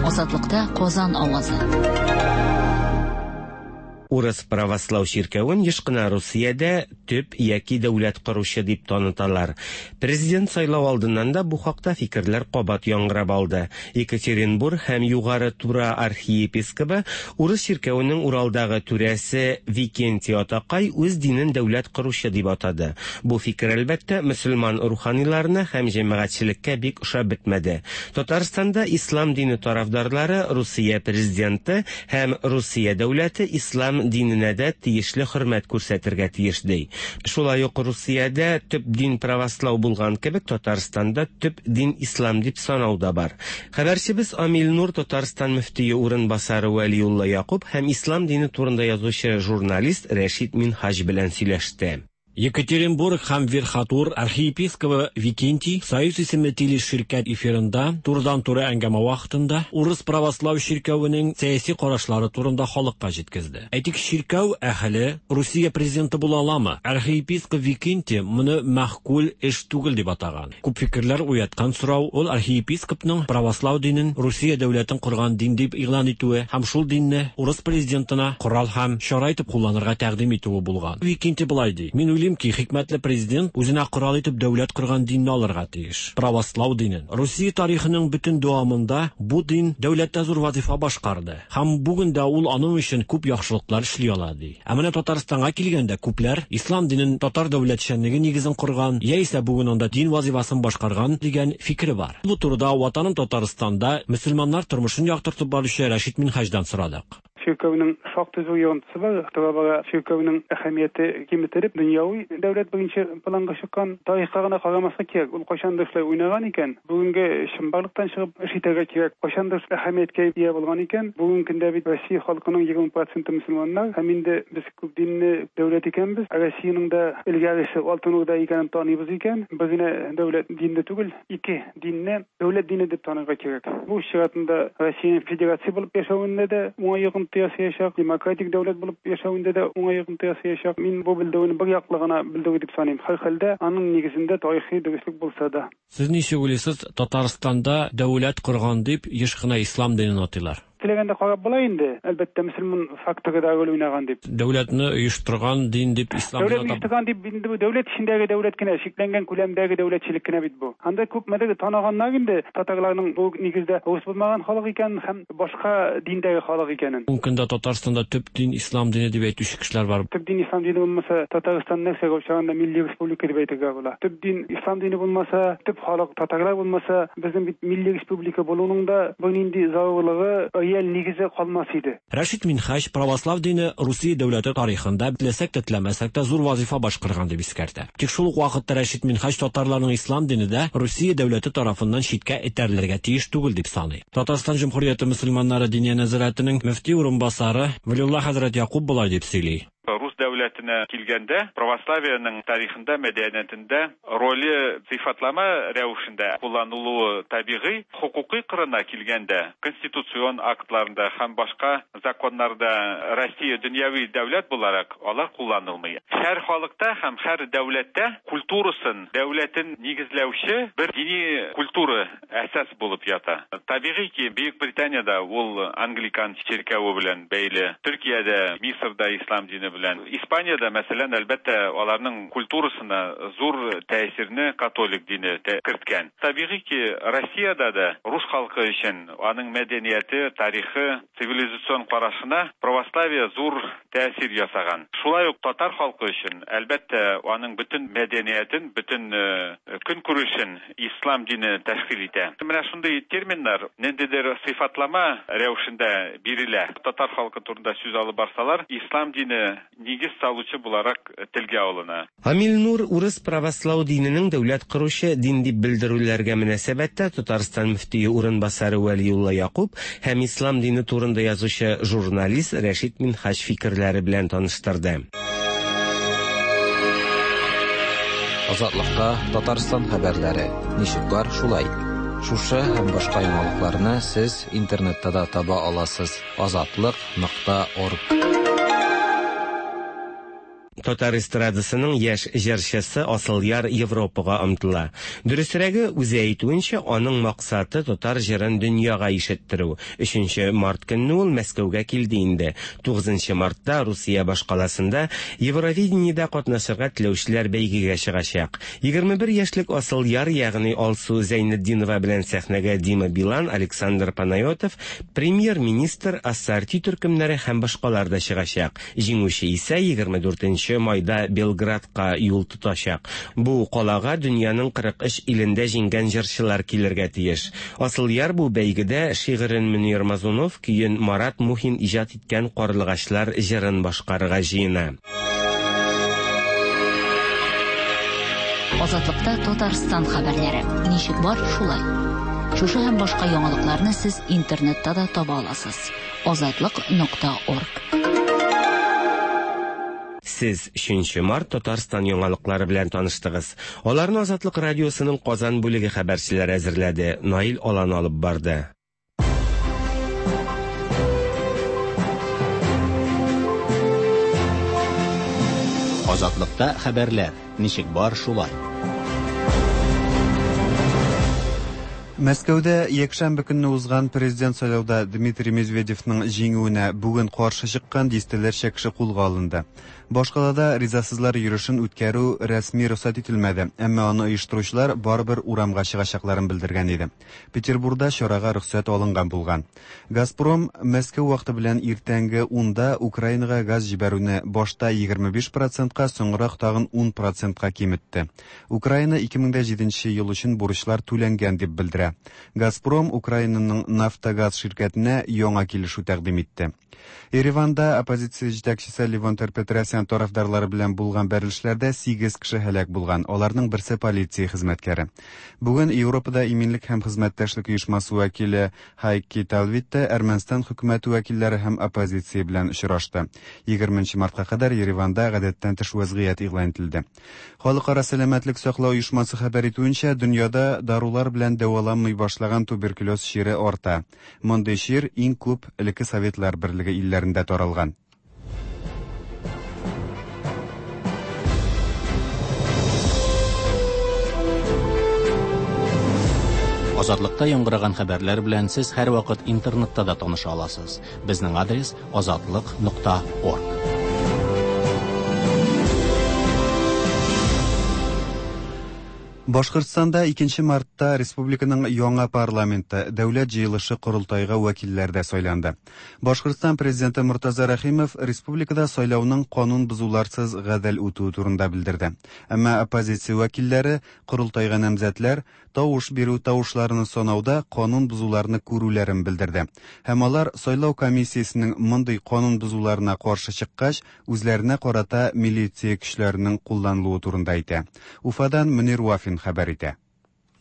Азатлыкта Казан авазы. Урыс православ чиркәвен еш кына Русиядә төп яки дәүләт коручы дип таныталар. Президент сайлау алдыннан да бу хакта фикерләр кабат яңгырап алды. Екатеринбург һәм Югары Тура архиепископы, урыс чиркәвенең Уралдагы түрәсе Викентий Атакай үз динен дәүләт коручы дип атады. Бу фикер, әлбәттә, мөселман руханиларына һәм җәмәгатьчелеккә бик ошап бетмәде. Татарстанда ислам дине тарафдарлары Русия президенты һәм Русия дәүләте ислам ислам диненә дә тиешле хөрмәт күрсәтергә тиеш ди. Шулай ук Русиядә төп дин правослау булган кебек Татарстанда төп дин ислам дип санау да бар. Хәбәрчебез Амил Нур Татарстан мөфтие урынбасары Вәлиулла Якуб һәм ислам дине турында язучы журналист Рәшит Минһаҗ белән сөйләште. Екатеринбург һәм Верхотур архиепископы Викентий Союз исемле телеширкәт эфирында турыдан-туры әңгәмә вакытында урыс православ чиркәвенең сәяси карашлары турында халыкка җиткезде. Әйтик, чиркәү әһеле Русия президенты була аламы? Архиепископ Викентий моны мәгъкуль эш түгел дип атаган. Күп фикерләр уяткан сорау ул архиепископның православ динен Русия дәүләтен корган дин дип игълан итүе һәм шул динне урыс президентына корал һәм чара итеп кулланырга тәкъдим итүе булган. Викентий болай ди: "Мин уйлыйм ки, хикмәтле президент үзенә корал итеп дәүләт корган динне алырга тиеш. Православ динен. Русия тарихының бөтен дәвамында бу дин дәүләттә зур вазифа башкарды. Һәм бүген дә ул аның өчен күп яхшылыклар эшли ала, ди. Ә менә Татарстанга килгәндә күпләр ислам динен татар дәүләтчәнлеге нигезен корган, яисә бүген анда дин вазифасын башкарган дигән фикере бар. Бу турыда Ватаным Татарстанда мөселманнар тормышын яктыртып баручы Рәшит Минһаҗдан сорадык. Чиркәүнең шактый зур йогынтысы бар. Тора-бара чиркәүнең әһәмияте киметелеп, дөньяви дәүләт беренче планга чыккан. Тарихка гына карамаска кирәк. Ул кайчандыр шулай уйнаган икән, бүгенге чынбарлыктан чыгып эш итәргә кирәк. Кайчандыр әһәмияткә ия булган икән, бүгенге көндә бит Россия халкының егерме проценты мөселманнар, һәм инде без күп динле дәүләт икәнбез. Россиянең дә элгәресе Алтын Урда икәнен таныйбыз икән, без генә дәүләт динле түгел, ике динне дәүләт дине дип танырга кирәк. Бу чиратында Россия федерация булып яшәвендә дә уңай йогынты ясаячак, демократик дәүләт булып яшәвендә дә уңай йогынты ясаячак. Мин бу белдерүне бер яклы гына белдерү дип саныйм. Һәрхәлдә аның нигезендә тарихи дөреслек булса да. Сез ничек уйлыйсыз, Татарстанда дәүләт корган дип еш кына ислам динен атыйлар? Теләгәндә карап була инде. Әлбәттә, мөселман факторы да роль уйнаган дип. Дәүләтне оештырган дин дип ислам динен атап. Дәүләт оештырган дип инде бу дәүләт эчендәге дәүләт кенә, чикләнгән күләмдәге дәүләтчелек кенә бит бу. Анда күпмедер таныганнар инде татарларның бу нигездә урыс булмаган халык икәнен һәм башка диндәге халык икәнен. Бүгенге көндә Татарстанда төп дин ислам дине дип әйтүче кешеләр бар. Төп дин ислам дине булмаса, Татарстан нәрсәгә охшаганда милли республика дип әйтергә була. Төп дин ислам дине булмаса, төп халык татарлар булмаса, безнең бит милли республика булуның да бернинди зарурлыгы, реаль нигезе калмас иде. Рәшит Минһаҗ православ дине Русия дәүләте тарихында теләсәк тә теләмәсәк тә зур вазифа башкарган дип искәртә. Тик шул ук вакытта Рәшит Минһаҗ татарларның ислам дине дә Русия дәүләте тарафыннан читкә этәрелергә тиеш түгел дип саный. Татарстан Җөмһүрияте мөселманнары диния нәзарәтенең мөфти урынбасары Вәлиулла хәзрәт Якуб болай дип сөйли. Рус дәүләтенә килгәндә, православиянең тарихында, мәдәниятендә роле сыйфатлама рәвешендә кулланылуы табигый, хокукый кырына килгәндә, конституцион актларында һәм башка законнарда Россия дөньяви дәүләт буларак алар кулланылмый. Һәр халыкта һәм һәр дәүләттә культурасын, дәүләтен нигезләүче бер дини культура әсас булып ята. Табигый ки, Бөек Британиядә ул англикан чиркәве белән бәйле, Төркиядә, Мисырда ислам дине белән. Испаниядә, мәсәлән, әлбәттә, аларның культурасына зур тәэсирне католик дине керткән. Табигый ки, Россиядә дә рус халкы өчен аның мәдәнияте, тарихы, цивилизацион карашына православие зур тәэсир ясаган. Шулай ук татар халкы өчен, әлбәттә, аның бөтен мәдәниятен, бөтен көнкүрешен ислам дине тәшкил итә. Менә шундый терминнар ниндидер сыйфатлама рәвешендә бирелә. Татар халкы турында сүз алып барсалар, ислам дине нигез салучы буларак телгә алына. Амил Нур урыс православ диненең дәүләт коручы дин дип белдерүләргә мөнәсәбәттә Татарстан мөфтие урынбасары Вәлиулла Якуб һәм ислам дине турында язучы журналист Рәшит Минһаҗ фикерләре белән таныштырды. Азатлыкта Татарстан хәбәрләре ничек бар шулай. Шушы һәм башка яңалыкларны сез интернетта да таба аласыз. азатлык нокта орг. Татар эстрадасының яшь җырчысы Асылъяр Европага омтыла. Дөресрәге, үзе әйтүенчә, аның максаты татар җырын дөньяга ишеттерү. Өченче март көнне ул Мәскәүгә килде инде. Тугызынчы мартта Русия башкаласында Евровидениедә катнашырга теләүчеләр бәйгегә чыгачак. Егерме бер яшьлек Асылъяр, ягъни Алсу Зәйнетдинова белән сәхнәгә Дима Билан, Александр Панайотов, премьер-министр, Ассорти төркемнәре һәм башкалар да чыгачак. Җиңүче исә егерме дүртенче унынчы майда Белградка юл тотачак. Бу калага дөньяның кырык өч илендә җиңгән җырчылар килергә тиеш. Асылъяр бу бәйгедә шигырен Мөнир Мазунов, көен Марат Мухин иҗат иткән Карлыгачлар җырын башкарырга җыена. Азатлыкта Татарстан хәбәрләре. Ничек бар, шулай. Шушы һәм башка яңалыкларны сез интернетта да таба аласыз. Азатлык нокта орг. Сез өченче март Татарстан яңалыклары белән таныштыгыз. Аларны Азатлык радиосының Казан бүлеге хәбәрчеләре әзерләде. Наил Алан алып барды. Азатлыкта хәбәрләр. Ничек бар, шулай. Мәскәүдә якшәмбе көнне узган президент сайлауда Дмитрий Медведевның җиңүенә бүген каршы чыккан дистәләрчә кеше кулга алынды. Башкалада ризасызлар йөрүшен үткәрү рәсми рөхсәт ителмәде, әмма аны оештыручылар барыбер урамга чыгачакларын белдергән иде. Петербургда чарага рөхсәт алынган булган. Газпром Мәскәү вакыты белән иртәнге унда Украинага газ җибәрүне башта егерме биш процентка, соңрак тагын ун процентка киметте. Украина ике мең дә җиденче ел өчен бурычлар түләнгән дип белдерә. Газпром Украинаның Нафтогаз ширкәтенә яңа килешү тәкъдим итте. Ереванда оппозиция җитәкчесе Левон Тер-Петросян тарафдарлары белән булган бәрелешләрдә сигез кеше һәлак булган, аларның берсе полиция хезмәткәре. Бүген Европада иминлек һәм хезмәттәшлек оешмасы вәкиле Хайки Талвитте Әрмәнстан хөкүмәте вәкилләре һәм оппозиция белән очрашты. егерменче мартка кадәр Ереванда гадәттән тыш вазгыять игълан ителде. Халыкара сәламәтлек саклау оешмасы хәбәр итүенчә, дөньяда дарулар белән дәваланмый башлаган туберкулез чире арта. Мондый чир иң күп элекке Советлар Берлеге илләрендә таралган. Азатлыкта яңгыраган хәбәрләр белән сез һәрвакыт интернетта да таныша аласыз. Безнең адрес азатлык нокта орг. Башкортстанда икенче мартта республиканың яңа парламенты дәүләт җыелышы корылтайга вәкилләр дә сайланды. Башкортстан президенты Муртаза Рәхимов республикада сайлауның канун бозуларсыз гадел үтүе турында белдерде. Әмма оппозиция вәкилләре корылтайга намзәтләр тавыш бирү тавышларын санауда канун бозуларны күрүләрен белдерде. Һәм алар сайлау комиссиясенең мондый канун бозуларына каршы чыккач, үзләренә карата милиция көчләренең кулланылуы турында әйтә. Уфадан Мөнир Вафин хәбәр итә.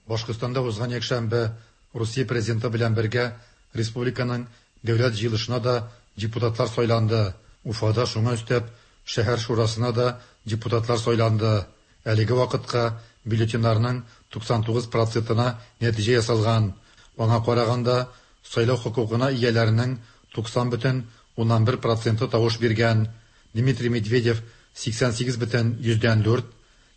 Башкортстанда узган якшәмбе Русия президенты белән бергә республиканың дәүләт җыелышына да депутатлар сайланды. Уфада шуңа өстәп шәһәр шурасына да депутатлар сайланды. Әлеге вакытка бюллетеньнарның туксан тугыз процентына нәтиҗә ясалган. Аңа караганда сайлау хокукына ияләренең туксан бөтен уннан бер проценты тавыш биргән. Дмитрий Медведев сиксән сигез бөтен йөздән дүрт,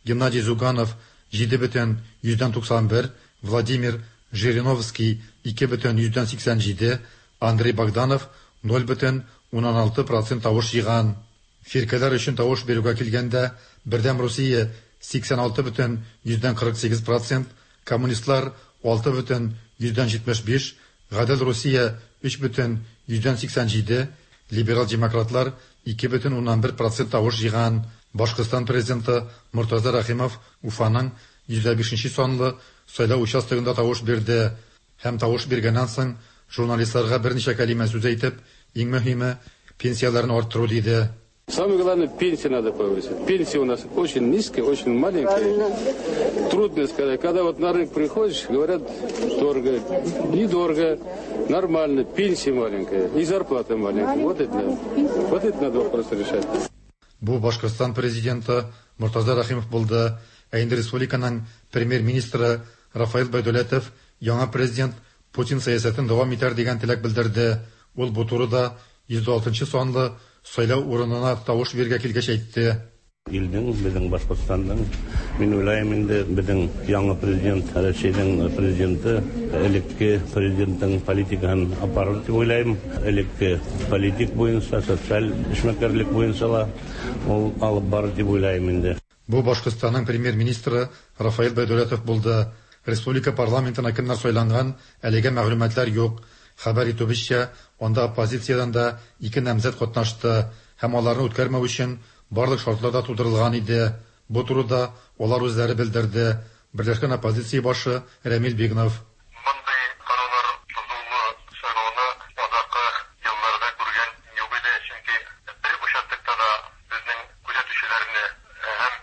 Геннадий Зюганов җиде бөтен йөздән туксан бер, Владимир Жириновский ике бөтен йөздән сиксән җиде, Андрей Богданов ноль бөтен уннан алты процент тавыш җыйган. Фиркәләр өчен тавыш бирүгә килгәндә, Бердәм Русия сиксән алты бөтен йөздән кырык сигез процент, коммунистлар алты бөтен йөздән җитмеш биш, Гадел Русия өч бөтен йөздән сиксән җиде, либерал демократлар ике бөтен уннан бер процент тавыш җыйган. Башкортстан президенты Муртаза Рәхимов Уфаның йөз бишенче санлы сайлау участогында тавыш бирде һәм тавыш биргәннән соң журналистларга берничә кәлимә сүз әйтеп, иң мөһиме пенсияләрне арттыру диде. Самое главное, пенсии надо повысить. Пенсия у нас очень низкая, очень маленькая. Трудно сказать. Когда вот на рынок приходишь, говорят, дорого. Недорого, нормально, пенсия маленькая, и зарплата маленькая. Вот это, вот это надо вопрос решать. Бу Башкортстан президенты Муртаза Рәхимов булды. Ә инде республиканың премьер-министры Рафаил Байдулетов яңа президент Путин сәясәтен дәвам итәр дигән теләк белдерде. Ул бу турыда йөз алтынчы санлы сайлау урынына тавыш биргә килгәч әйтте. Илнең, безнең Башкортстанның, мин уйлыйм инде безнең яңа президент, Россиянең президенты, элекке президентның политикасын апарыр дип уйлыйм. Элекке политик буенча, социаль эшмәкәрлек буенча ла ул алып барыр дип уйлыйм инде. Бу Башкортстанның премьер-министры Рафаил Байдулетов булды. Республика парламентына кемнәр сайланган, әлегә мәгълүматлар юк. Хәбәр итүебезчә, анда оппозициядән дә ике намзәт катнашты һәм аларны үткәрмәү өчен барлык шартлар да тудырылган иде. Бу турыда алар үзләре белдерде. Берләшкән оппозиция башы Рәмил Бигнов. Мондый кануннар бозылуы сайлауны азаккы елларда күргән юк иде, чөнки бер участокта да безнең күзәтүчеләрне һәм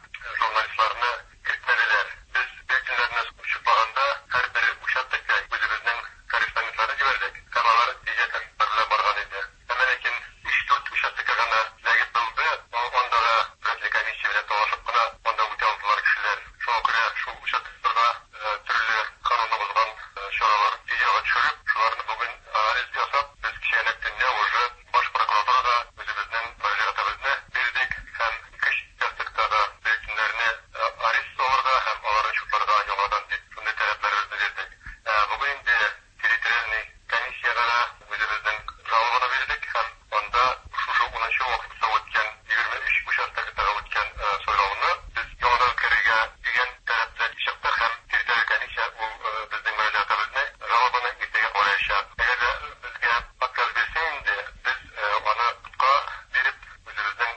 журналистларны кертмәделәр. Без бюллетеньнәрне чутлаганда һәрбер участокка үзебезнең корреспондентларны җибәрдек һәм алар видеокамералар белән барган иде. Әмма ләкин өч-дүрт участокка гына эләгеп булды, анда да төрле комиссия белән талашып кына анда үтә алдылар кешеләр. Шуңа күрә шул участокларда төрле канунны бозган чаралар видеога төшереп, шуларны бүген анализ ясап, без кичәнәк төнлә уже баш прокуратурага үзебезнең мөрәҗәгатебезне бирдек һәм ике участоктагы бюллетеньнәрне арест алырга һәм аларны чутларга яңадан дип шундый таләпләребезне бирдек. Бүген инде территориальный комиссиягә дә үзебезнең жалобаны бирдек һәм анда шушы унынчы вакытта үткән егерме өч участоктагы үткән сайлауны без яңадан үткәрергә дигән таләп белән чыктык һәм территориаль комиссия ул безнең мөрәҗәгатебезне, жалобаны иртәгә караячак. Әгәр дә безгә отказ бирсә инде, без аны судка биреп үзебезнең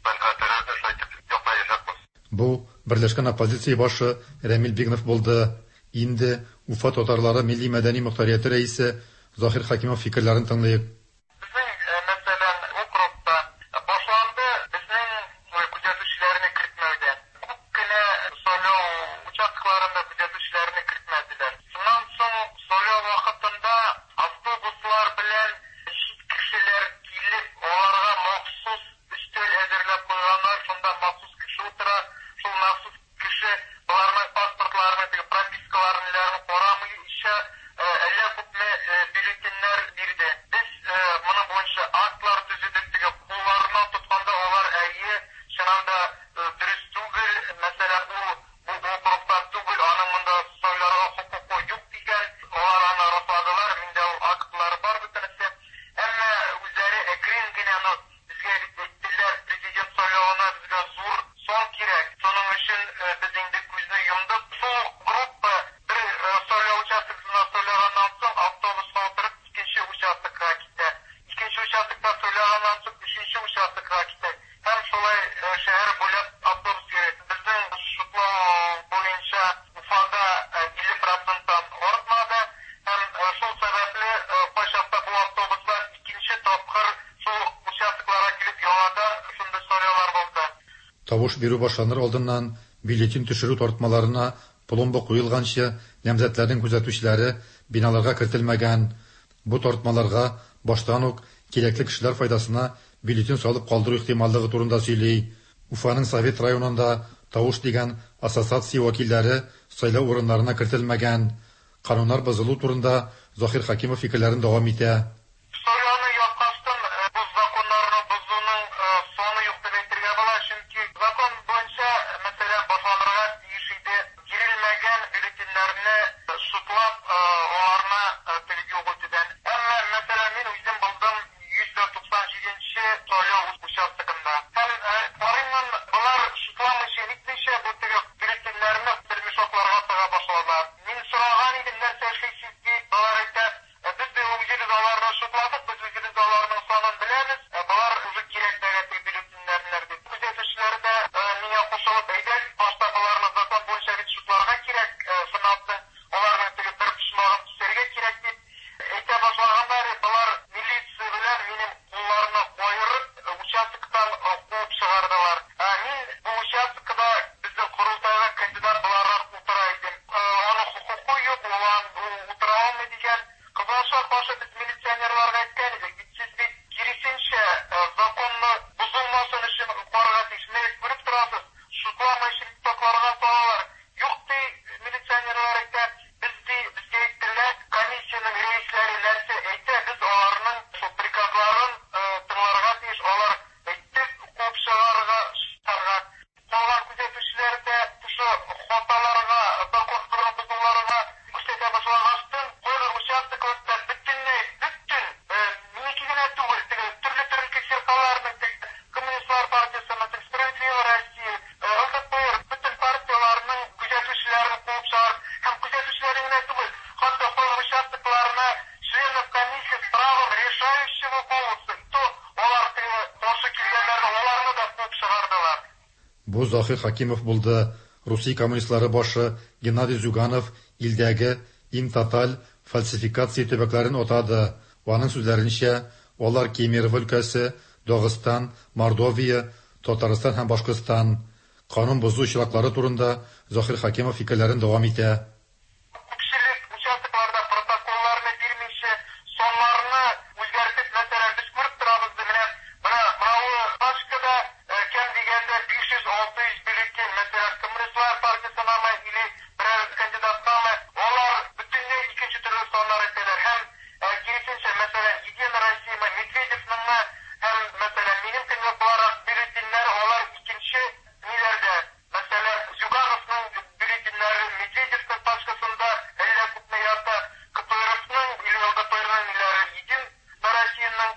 мәнфәгатьләребезне шулай итеп яклаячакбыз. Бу Берләшкән оппозиция башы Рәмил Бигнов булды. Инде Уфа татарлары милли мәдәни мохтарияте рәисе Заһир Хәкимов фикерләрен тыңлыйк. Безнең, мәсәлән, округта башланды безнең күзәтүчеләрне кертмәүдән. Күп кенә сайлау участокларында күзәтүчеләрне кертмәделәр. Шуннан соң сайлау вакытында автобуслар белән чит кешеләр килеп, аларга махсус өстәл әзерләп куйганнар, шунда махсус кеше утыра, шул махсус кеше аларның паспортларын, теге пропискаларын карамыйча әллә күпме бюллетеньнәр бирде. Без моның буенча актлар төзедек, теге кулларыннан тотканда алар әйе, чыннан да дөрес түгел, мәсәлән, ул бу округтан түгел, аның монда сайларга хокукы юк дигән, алар аны расладылар, миндә ул актлар бар бөтенесе. Әмма үзләре әкрен генә, ну, безгә әйттеләр, президент сайлавына безгә зур сан кирәк. Шуның өчен без инде күзне йомдык. Шул группа бер сайлау участоксына сайлаганнан соң автобуска утырып икенче участокка китә. Икенче участокта сайлаганнан соң өченче участокка китә. Һәм шулай шәһәр буйлап автобус йөри. Безнең шутлау буенча Уфада илле проценттан артмады. Һәм шул сәбәпле кайчакта бу автобуслар икенче тапкыр шул участокларга килеп яңадан шундый сайлаулар булды. Тавыш бирү башланыр алдыннан бюллетень төшерү тартмаларына пломба куелганчы намзәтләрнең күзәтүчеләре биналарга кертелмәгән. Бу тартмаларга баштан ук кирәкле кешеләр файдасына бюллетень салып калдыру ихтималлыгы турында сөйли. Уфаның Совет районында тавыш дигән ассоциация вәкилләре сайлау урыннарына кертелмәгән. Кануннар бозылу турында Заһир Хәкимов фикерләрен дәвам итә. Сайлауны яткачтан бу законнарны бозуның саны юк дип әйтергә була, чөнки закон буенча, мәсәлән, башланырга тиеш иде бирелмәгән бюллетеньнәрне шутлап, аларны теге юк итүдән. Әмма, мәсәлән, мин үзем булдым йөз дә туксан җиденче сайлау участогында. Һәм карыймын, болар шутламыйча, нитмичә бу теге бюллетеньнәрне бер мешокларга тыга башладылар. Мин сораган идем, нәрсә эшлисез дип, болар әйтә, без дә үзебез аларны шутладык, без үзебез аларның санын беләбез, болар уже кирәкмәгән теге бюллетеньнәр дип. Күзәтүчеләр дә миңа кушылып, әйдә, башта боларны закон буенча бит шутларга кирәк, шуннан соң аларның теге бер почмагын кисәргә кирәк дип әйтә башлаганнар. Болар милиция белән минем кулларны каерып, участоктан куып чыгардылар. Мин бу участокта безнең корылтайга кандидат буларак утыра идем. Аның хокукы юк, ул утыра алмый дигән. Кызганычка каршы без милиционерларга әйткән идек, бит сез бит киресенчә Бу Заһир Хакимов булды. Русия коммунистлары башы Геннадий Зюганов илдәге иң тоталь фальсификация төбәкләрен атады. Аның сүзләренчә, алар Кемерово өлкәсе, Дагыстан, Мордовия, Татарстан һәм Башкортстан. Канун бозу очраклары турында Заһир Хакимов фикерләрен дәвам итә. Күпчелек участокларда протоколларны бирмичә, саннарны үзгәртеп, мәсәлән, без күреп торабыз, менә менә мынау пачкада кем дигәндә биш йөз алты йөз бюллетень, мәсәлән, коммунистлар партиясенәме или берәр кандидаткамы, алар бөтенләй икенче төрле саннар әйтәләр. Һәм киресенчә, мәсәлән, Единая Россия, Медведевныңмы һәм мәсәлән, минем көнлек буларак бюллетеньнәр алар икенче ниләрдә. Мәсәлән, Зюгановның бюллетеньнәре Медведевның пачкасында әллә күпме ята, КПРФның или ЛДПРның ниләре Единая Россияның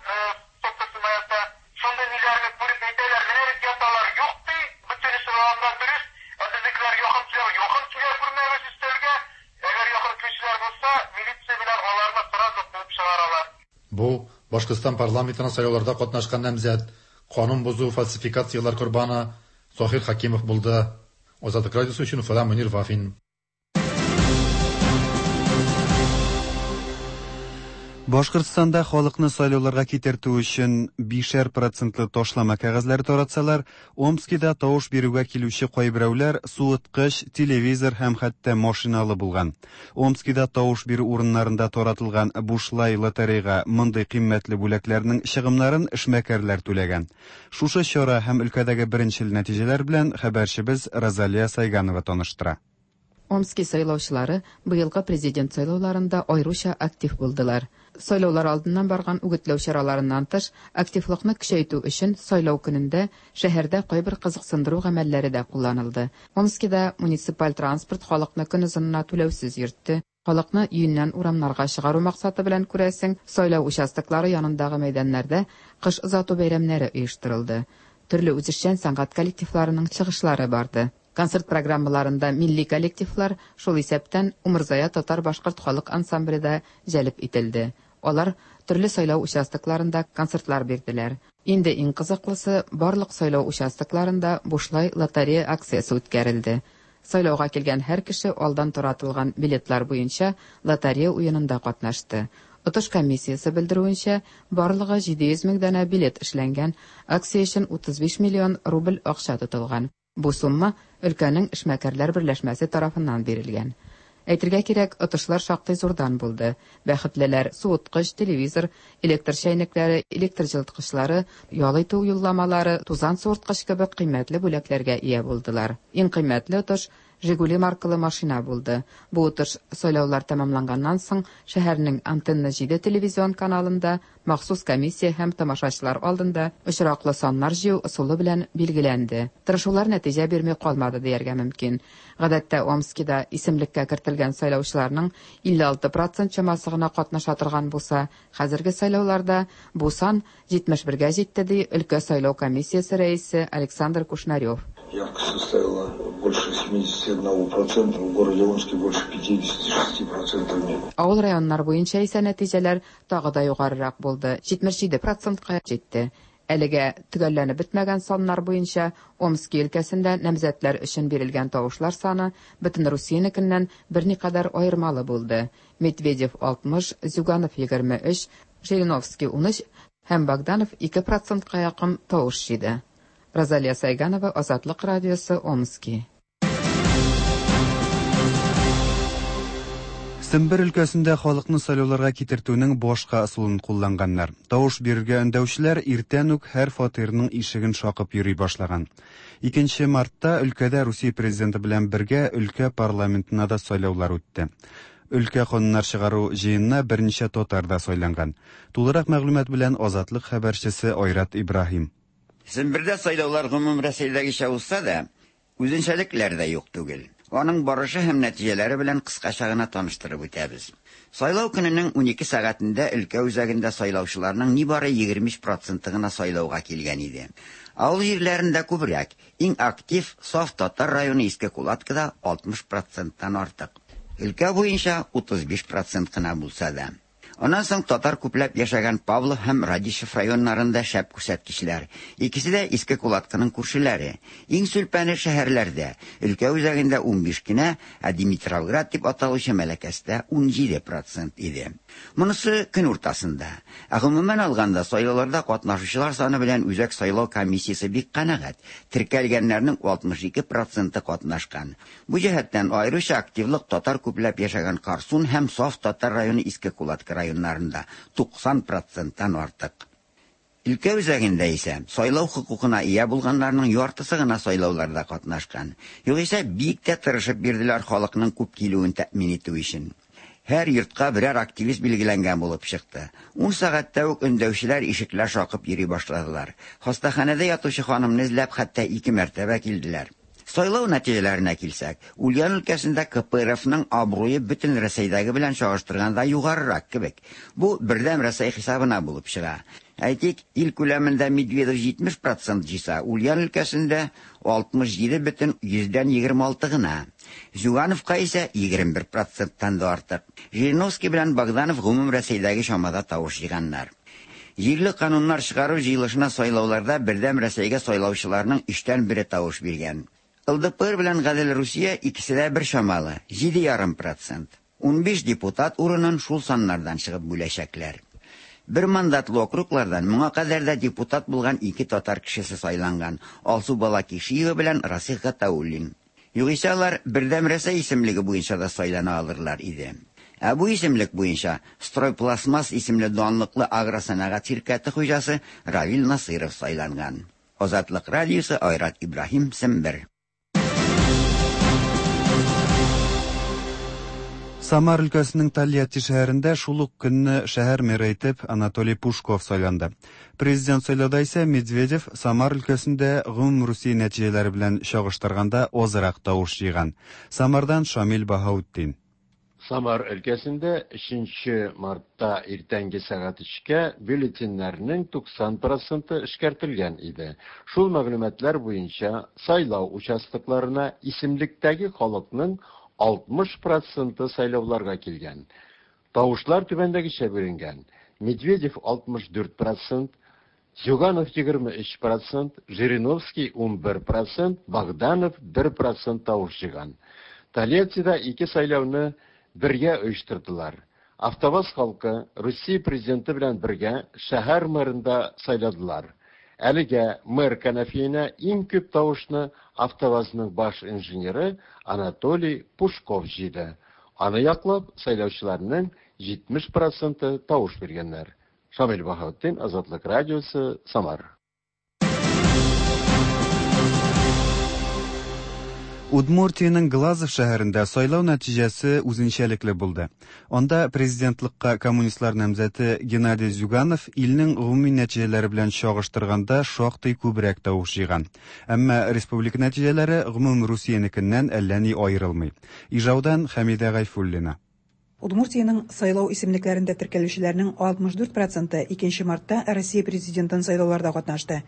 стопкасына ята. Шундый ниләрне күреп әйтәләр, менә бит яталар, юк ди, бөтенесе анда дөрес, ә безнекеләр якын килә, якын килә күрмәгез өстәлгә. Әгәр якын килүчеләр булса, милиция белән аларны сразу куып чыгаралар. Бу Башкортстан парламентына сайлауларда катнашкан намзәт, канун бозу фальсификацияләр корбаны Заһир Хакимов булды. Азатлык радиосы өчен Уфадан Мөнир Вафин. Башкортстанда халыкны сайлауларга китертү өчен бишәр процентлы ташлама кәгазьләре таратсалар, Омскида тавыш бирүгә килүче кайберәүләр суыткыч, телевизор һәм хәтта машиналы булган. Омскида тавыш бирү урыннарында таратылган бушлай лотерейга мондый кыйммәтле бүләкләрнең чыгымнарын эшмәкәрләр түләгән. Шушы чара һәм өлкәдәге беренчел нәтиҗәләр белән хәбәрчебез Розалия Сайганова таныштыра. Омски сайлаучылары быелгы президент сайлауларында аеруча актив булдылар. Сайлаулар алдыннан барган үгетләү чараларыннан тыш, активлыкны көчәйтү өчен сайлау көнендә шәһәрдә кайбер кызыксындыру гамәлләре дә кулланылды. Омскида муниципаль транспорт халыкны көн озынына түләүсез йөртте. Халыкны өеннән урамнарга чыгару максаты белән күрәсең, сайлау участоклары янындагы мәйданнарда кыш озату бәйрәмнәре оештырылды. Төрле үзешчән сәнгать коллективларының чыгышлары барды. Концерт программаларында милли коллективлар, шул исәптән Умырзая татар-башкорт халык ансамбле дә җәлеп ителде. Алар төрле сайлау участокларында концертлар бирделәр. Инде иң кызыклысы, барлык сайлау участокларында бушлай лотерея акциясе үткәрелде. Сайлауга килгән һәр кеше алдан таратылган билетлар буенча лотерея уенында катнашты. Отыш комиссиясе белдерүенчә, барлыгы җиде йөз мең данә билет эшләнгән, акция өчен утыз биш миллион рубль акча тотылган. Бу сумма өлкәнең эшмәкәрләр берләшмәсе тарафыннан бирелгән. Әйтергә кирәк, отышлар шактый зурдан булды. Бәхетлеләр суыткыч, телевизор, электр чәйнекләре, электр җылыткычлары, ял итү юлламалары, тузан суырткыч кебек кыйммәтле бүләкләргә ия булдылар. Иң кыйммәтле отыш Жигули маркалы машина булды. Бу отыш сайлаулар тәмамланганнан соң шәһәрнең Антенна җиде телевизион каналында махсус комиссия һәм тамашачылар алдында очраклы саннар җыю ысулы белән билгеләнде. Тырышулар нәтиҗә бирми калмады дияргә мөмкин. Гадәттә Омскида исемлеккә кертелгән сайлаучыларның илле алты процент чамасы гына катнаша торган булса, хәзерге сайлауларда бу сан җитмеш бергә җитте, ди өлкә сайлау комиссиясе рәисе Александр Кушнарев. Явка составила больше семидесяти одного процента, в городе Омске больше пятидесяти шести процентов нет. Авыл районнар буенча исә нәтиҗәләр тагы да югарырак булды, җитмеш җиде процентка җитте. Әлегә төгәлләнеп бетмәгән саннар буенча Омски өлкәсендә намзәтләр өчен бирелгән тавышлар саны бөтен Русиянекеннән берникадәр аермалы булды. Медведев алтмыш, Зюганов егерме өч, Жириновский унөч һәм Богданов ике процентка якын тавыш җыйды. Розалия Сайганова, Азатлык радиосы, Омски. Сембер өлкәсендә халыкны сайлауларга китертүнең башка ысулын кулланганнар. Тавыш бирергә өндәүчеләр иртән үк һәр фатирның ишеген шакып йөри башлаган. Икенче мартта өлкәдә Русия президенты белән бергә өлкә парламентына да сайлаулар үтте. Өлкә кануннар чыгару җыенына берничә татар да сайланган. Тулырак мәгълүмат белән Азатлык хәбәрчесе Айрат Ибраһим. Сембердә сайлаулар гомум Рәсәйдәгечә узса да, үзенчәлекләр дә юк түгел. Аның барышы һәм нәтиҗәләре белән кыскача гына таныштырып үтәбез. Сайлау көненең унике сәгатендә өлкә үзәгендә сайлаучыларның нибары егерме биш проценты гына сайлауга килгән иде. Авыл җирләрендә күбрәк, иң актив саф татар районы Иске Кулаткада алтмыш проценттан артык. Өлкә буенча утыз биш процент кына булса да. Аннан соң татар күпләп яшәгән Павлов һәм Радищев районнарында шәп күрсәткечләр. Икесе дә Иске Кулаткының күршеләре. Иң сүлпәне шәһәрләрдә. Өлкә үзәгендә унбиш кенә, ә Димитровград дип аталучы Мәләкәстә унҗиде процент иде. Монысы көн уртасында. Ә гомумән алганда сайлауларда катнашучылар саны белән Үзәк сайлау комиссиясе бик канәгать. Теркәлгәннәрнең алтмыш ике проценты катнашкан. Бу җәһәттән аеруча активлык татар күпләп яшәгән Карсун һәм саф татар районы Иске Кулатка районнарында туксан проценттан артык. Өлкә үзәгендә исә сайлау хокукына ия булганнарның яртысы гына сайлауларда катнашкан. Югыйсә бик тә тырышып бирделәр халыкның күп килүен тәэмин итү өчен. Һәр йортка берәр активист билгеләнгән булып чыкты. Ун сәгатьтә үк өндәүчеләр ишекләр шакып йөри башладылар. Хастаханәдә ятучы ханымны эзләп хәтта ике мәртәбә килделәр. Сайлау нәтиҗәләренә килсәк, Ульян өлкәсендә К П Р Фның абруе бөтен Рәсәйдәге белән чагыштырганда югарырак кебек. Бу Бердәм Рәсәй хисабына булып чыга. Әйтик, ил күләмендә Медведев җитмеш процент җыйса, Ульян өлкәсендә алтмыш җиде бөтен йөздән егерме алты гына. Зюгановка исә егерме бер проценттан да артык. Жириновский белән Богданов гомум Рәсәйдәге чамада тавыш җыйганнар. Җирле кануннар чыгару җыелышына сайлауларда Бердәм Рәсәйгә сайлаучыларның өчтән бере тавыш биргән. Л Д П Р белән Гадел Русия икесе дә бер чамалы, җиде ярым процент. Унбиш депутат урынын шул саннардан чыгып бүләчәкләр. Бер мандатлы округлардан моңа кадәр дә депутат булган ике татар кешесе сайланган: Алсу Балакишиева белән Расих Гатауллин. Югыйсә алар Бердәм Рәсәй исемлеге буенча да сайлана алырлар иде. Ә бу исемлек буенча Стройпластмасс исемле данлыклы агросәнәгать ширкәте хуҗасы Равил Насыров сайланган. Азатлык радиосы, Айрат Ибраһим, Сембер. Самар өлкәсенең Тольятти шәһәрендә шул ук көнне шәһәр мэры итеп Анатолий Пушков сайланды. Президент сайлауда исә Медведев Самар өлкәсендә гомум Русия нәтиҗәләре белән чагыштырганда азрак тавыш җыйган. Самардан Шамил Баһаутдин. Самар өлкәсендә өченче мартта иртәнге сәгать өчкә бюллетеньнәрнең туксан проценты эшкәртелгән иде. Шул мәгълүматлар буенча сайлау участокларына исемлектәге халыкның алтмыш проценты сайлауларга килгән. Тавышлар түбәндәгечә бүленгән. Медведев алтмыш дүрт процент, Зюганов егерме өч процент, Жириновский ун бер процент, Богданов бер процент тавыш җыйган. Тольяттида ике сайлауны бергә оештырдылар. АвтоВАЗ халкы Русия президенты белән бергә шәһәр мэрында сайладылар. Әлегә мэр кәнәфиенә иң күп тавышны АвтоВАЗның баш инженеры Анатолий Пушков җыйды. Аны яклап сайлаучыларның җитмеш проценты тавыш биргәннәр. Шамил Баһаутдин, Азатлык радиосы, Самар. Удмуртиянең Глазов шәһәрендә сайлау нәтиҗәсе үзенчәлекле булды. Анда президентлыкка коммунистлар намзәте Геннадий Зюганов илнең гомуми нәтиҗәләре белән чагыштырганда шактый күбрәк тавыш җыйган. Әмма республика нәтиҗәләре гомум Русиянекеннән әллә ни аерылмый. Ижаудан Хәмидә Гайфуллина. Удмуртиянең сайлау исемлекләрендә теркәлүчеләрнең алтмыш дүрт проценты икенче мартта Россия президентын сайлауларда катнашты.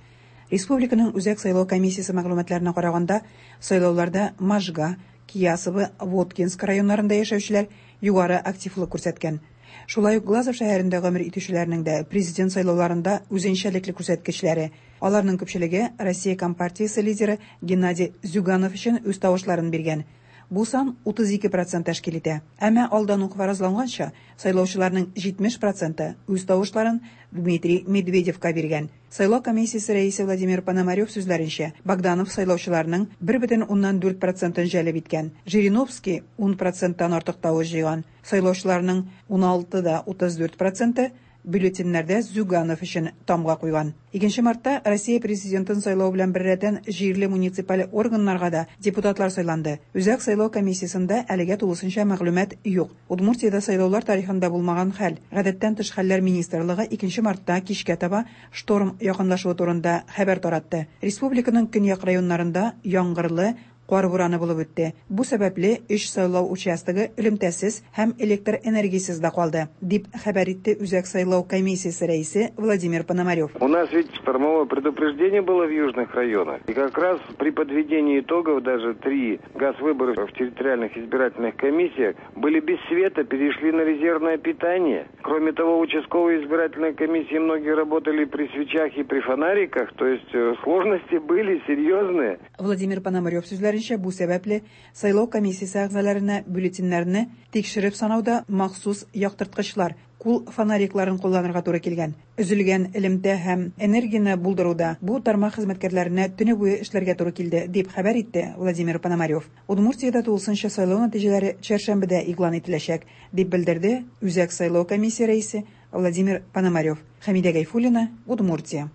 Республиканың Үзәк сайлау комиссиясе мәгълүматларына караганда, сайлауларда Можга, Киясово, Воткинск районнарында яшәүчеләр югары активлык күрсәткән. Шулай ук Глазов шәһәрендә гомер итүчеләрнең дә президент сайлауларында үзенчәлекле күрсәткечләре. Аларның күпчелеге Россия Компартиясе лидеры Геннадий Зюганов өчен үз тавышларын биргән. Бу сан утыз ике процент тәшкил итә. Әмма алдан ук фаразланганча, сайлаучыларның җитмеш проценты үз тавышларын Дмитрий Медведевка биргән. Сайлау комиссиясе рәисе Владимир Пономарев сүзләренчә, Богданов сайлаучыларның бер бөтен уннан дүрт процентын җәлеп иткән. Жириновский ун проценттан артык тавыш җыйган. Сайлаучыларның ун алты да утыз дүрт проценты бюллетеньнәрдә Зюганов өчен тамга куйган. Икенче мартта Россия президентын сайлау белән беррәттән җирле муниципаль органнарга да депутатлар сайланды. Үзәк сайлау комиссиясендә әлегә тулысынча мәгълүмат юк. Удмуртиядә сайлаулар тарихында булмаган хәл. Гадәттән тыш хәлләр министрлыгы икенче мартта кичкә таба шторм якынлашуы турында хәбәр таратты. Республиканың көньяк районнарында яңгырлы, кар бураны булып үтте. Бу сәбәпле өч сайлау участогы элемтәсез һәм электр энергиясез дә калды, дип хәбәр итте Үзәк сайлау комиссиясе рәисе Владимир Пономарев. У нас ведь штормовое предупреждение было в южных районах. И как раз при подведении итогов даже три газвыборов в территориальных избирательных комиссиях были без света, перешли на резервное питание. Кроме того, участковые избирательные комиссии многие работали при свечах и при фонариках, то есть сложности были серьезные. Владимир Пономарев сүзләренчә, бу сәбәпле сайлау комиссиясе әгъзаларына бюллетеньнәрне тикшереп санауда махсус яктырткычлар, кул фонарикларын кулланырга туры килгән. Өзелгән элемтә һәм энергияне булдыруда бу тармак хезмәткәрләренә төне буе эшләргә туры килде, дип хәбәр итте Владимир Пономарев. Удмуртиядә тулысынча сайлау нәтиҗәләре чәршәмбедә игълан ителәчәк, дип белдерде Үзәк сайлау комиссия рәисе Владимир Пономарев. Хәмидә Гайфуллина, Удмуртия.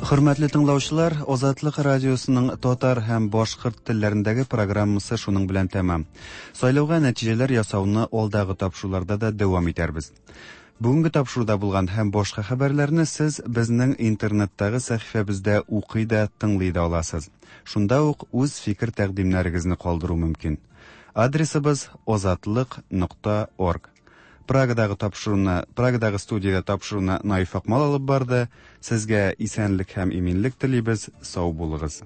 Хөрмәтле тыңлаучылар, Азатлык радиосының татар һәм башкорт телләрендәге программасы шуның белән тәмам. Сайлауга нәтиҗәләр ясауны алдагы тапшыруларда да дәвам итәрбез. Бүгенге тапшыруда булган һәм башка хәбәрләрне сез безнең интернеттагы сәхифәбездә укый да, тыңлый да аласыз. Шунда ук үз фикер тәкъдимнәрегезне калдыру мөмкин. Адресыбыз азатлык нокта орг. Прагадагы тапшыруны, Прагадагы студиядә тапшыруны Наиф Акмал алып барды. Сезгә исәнлек һәм иминлек телибез. Сау булыгыз.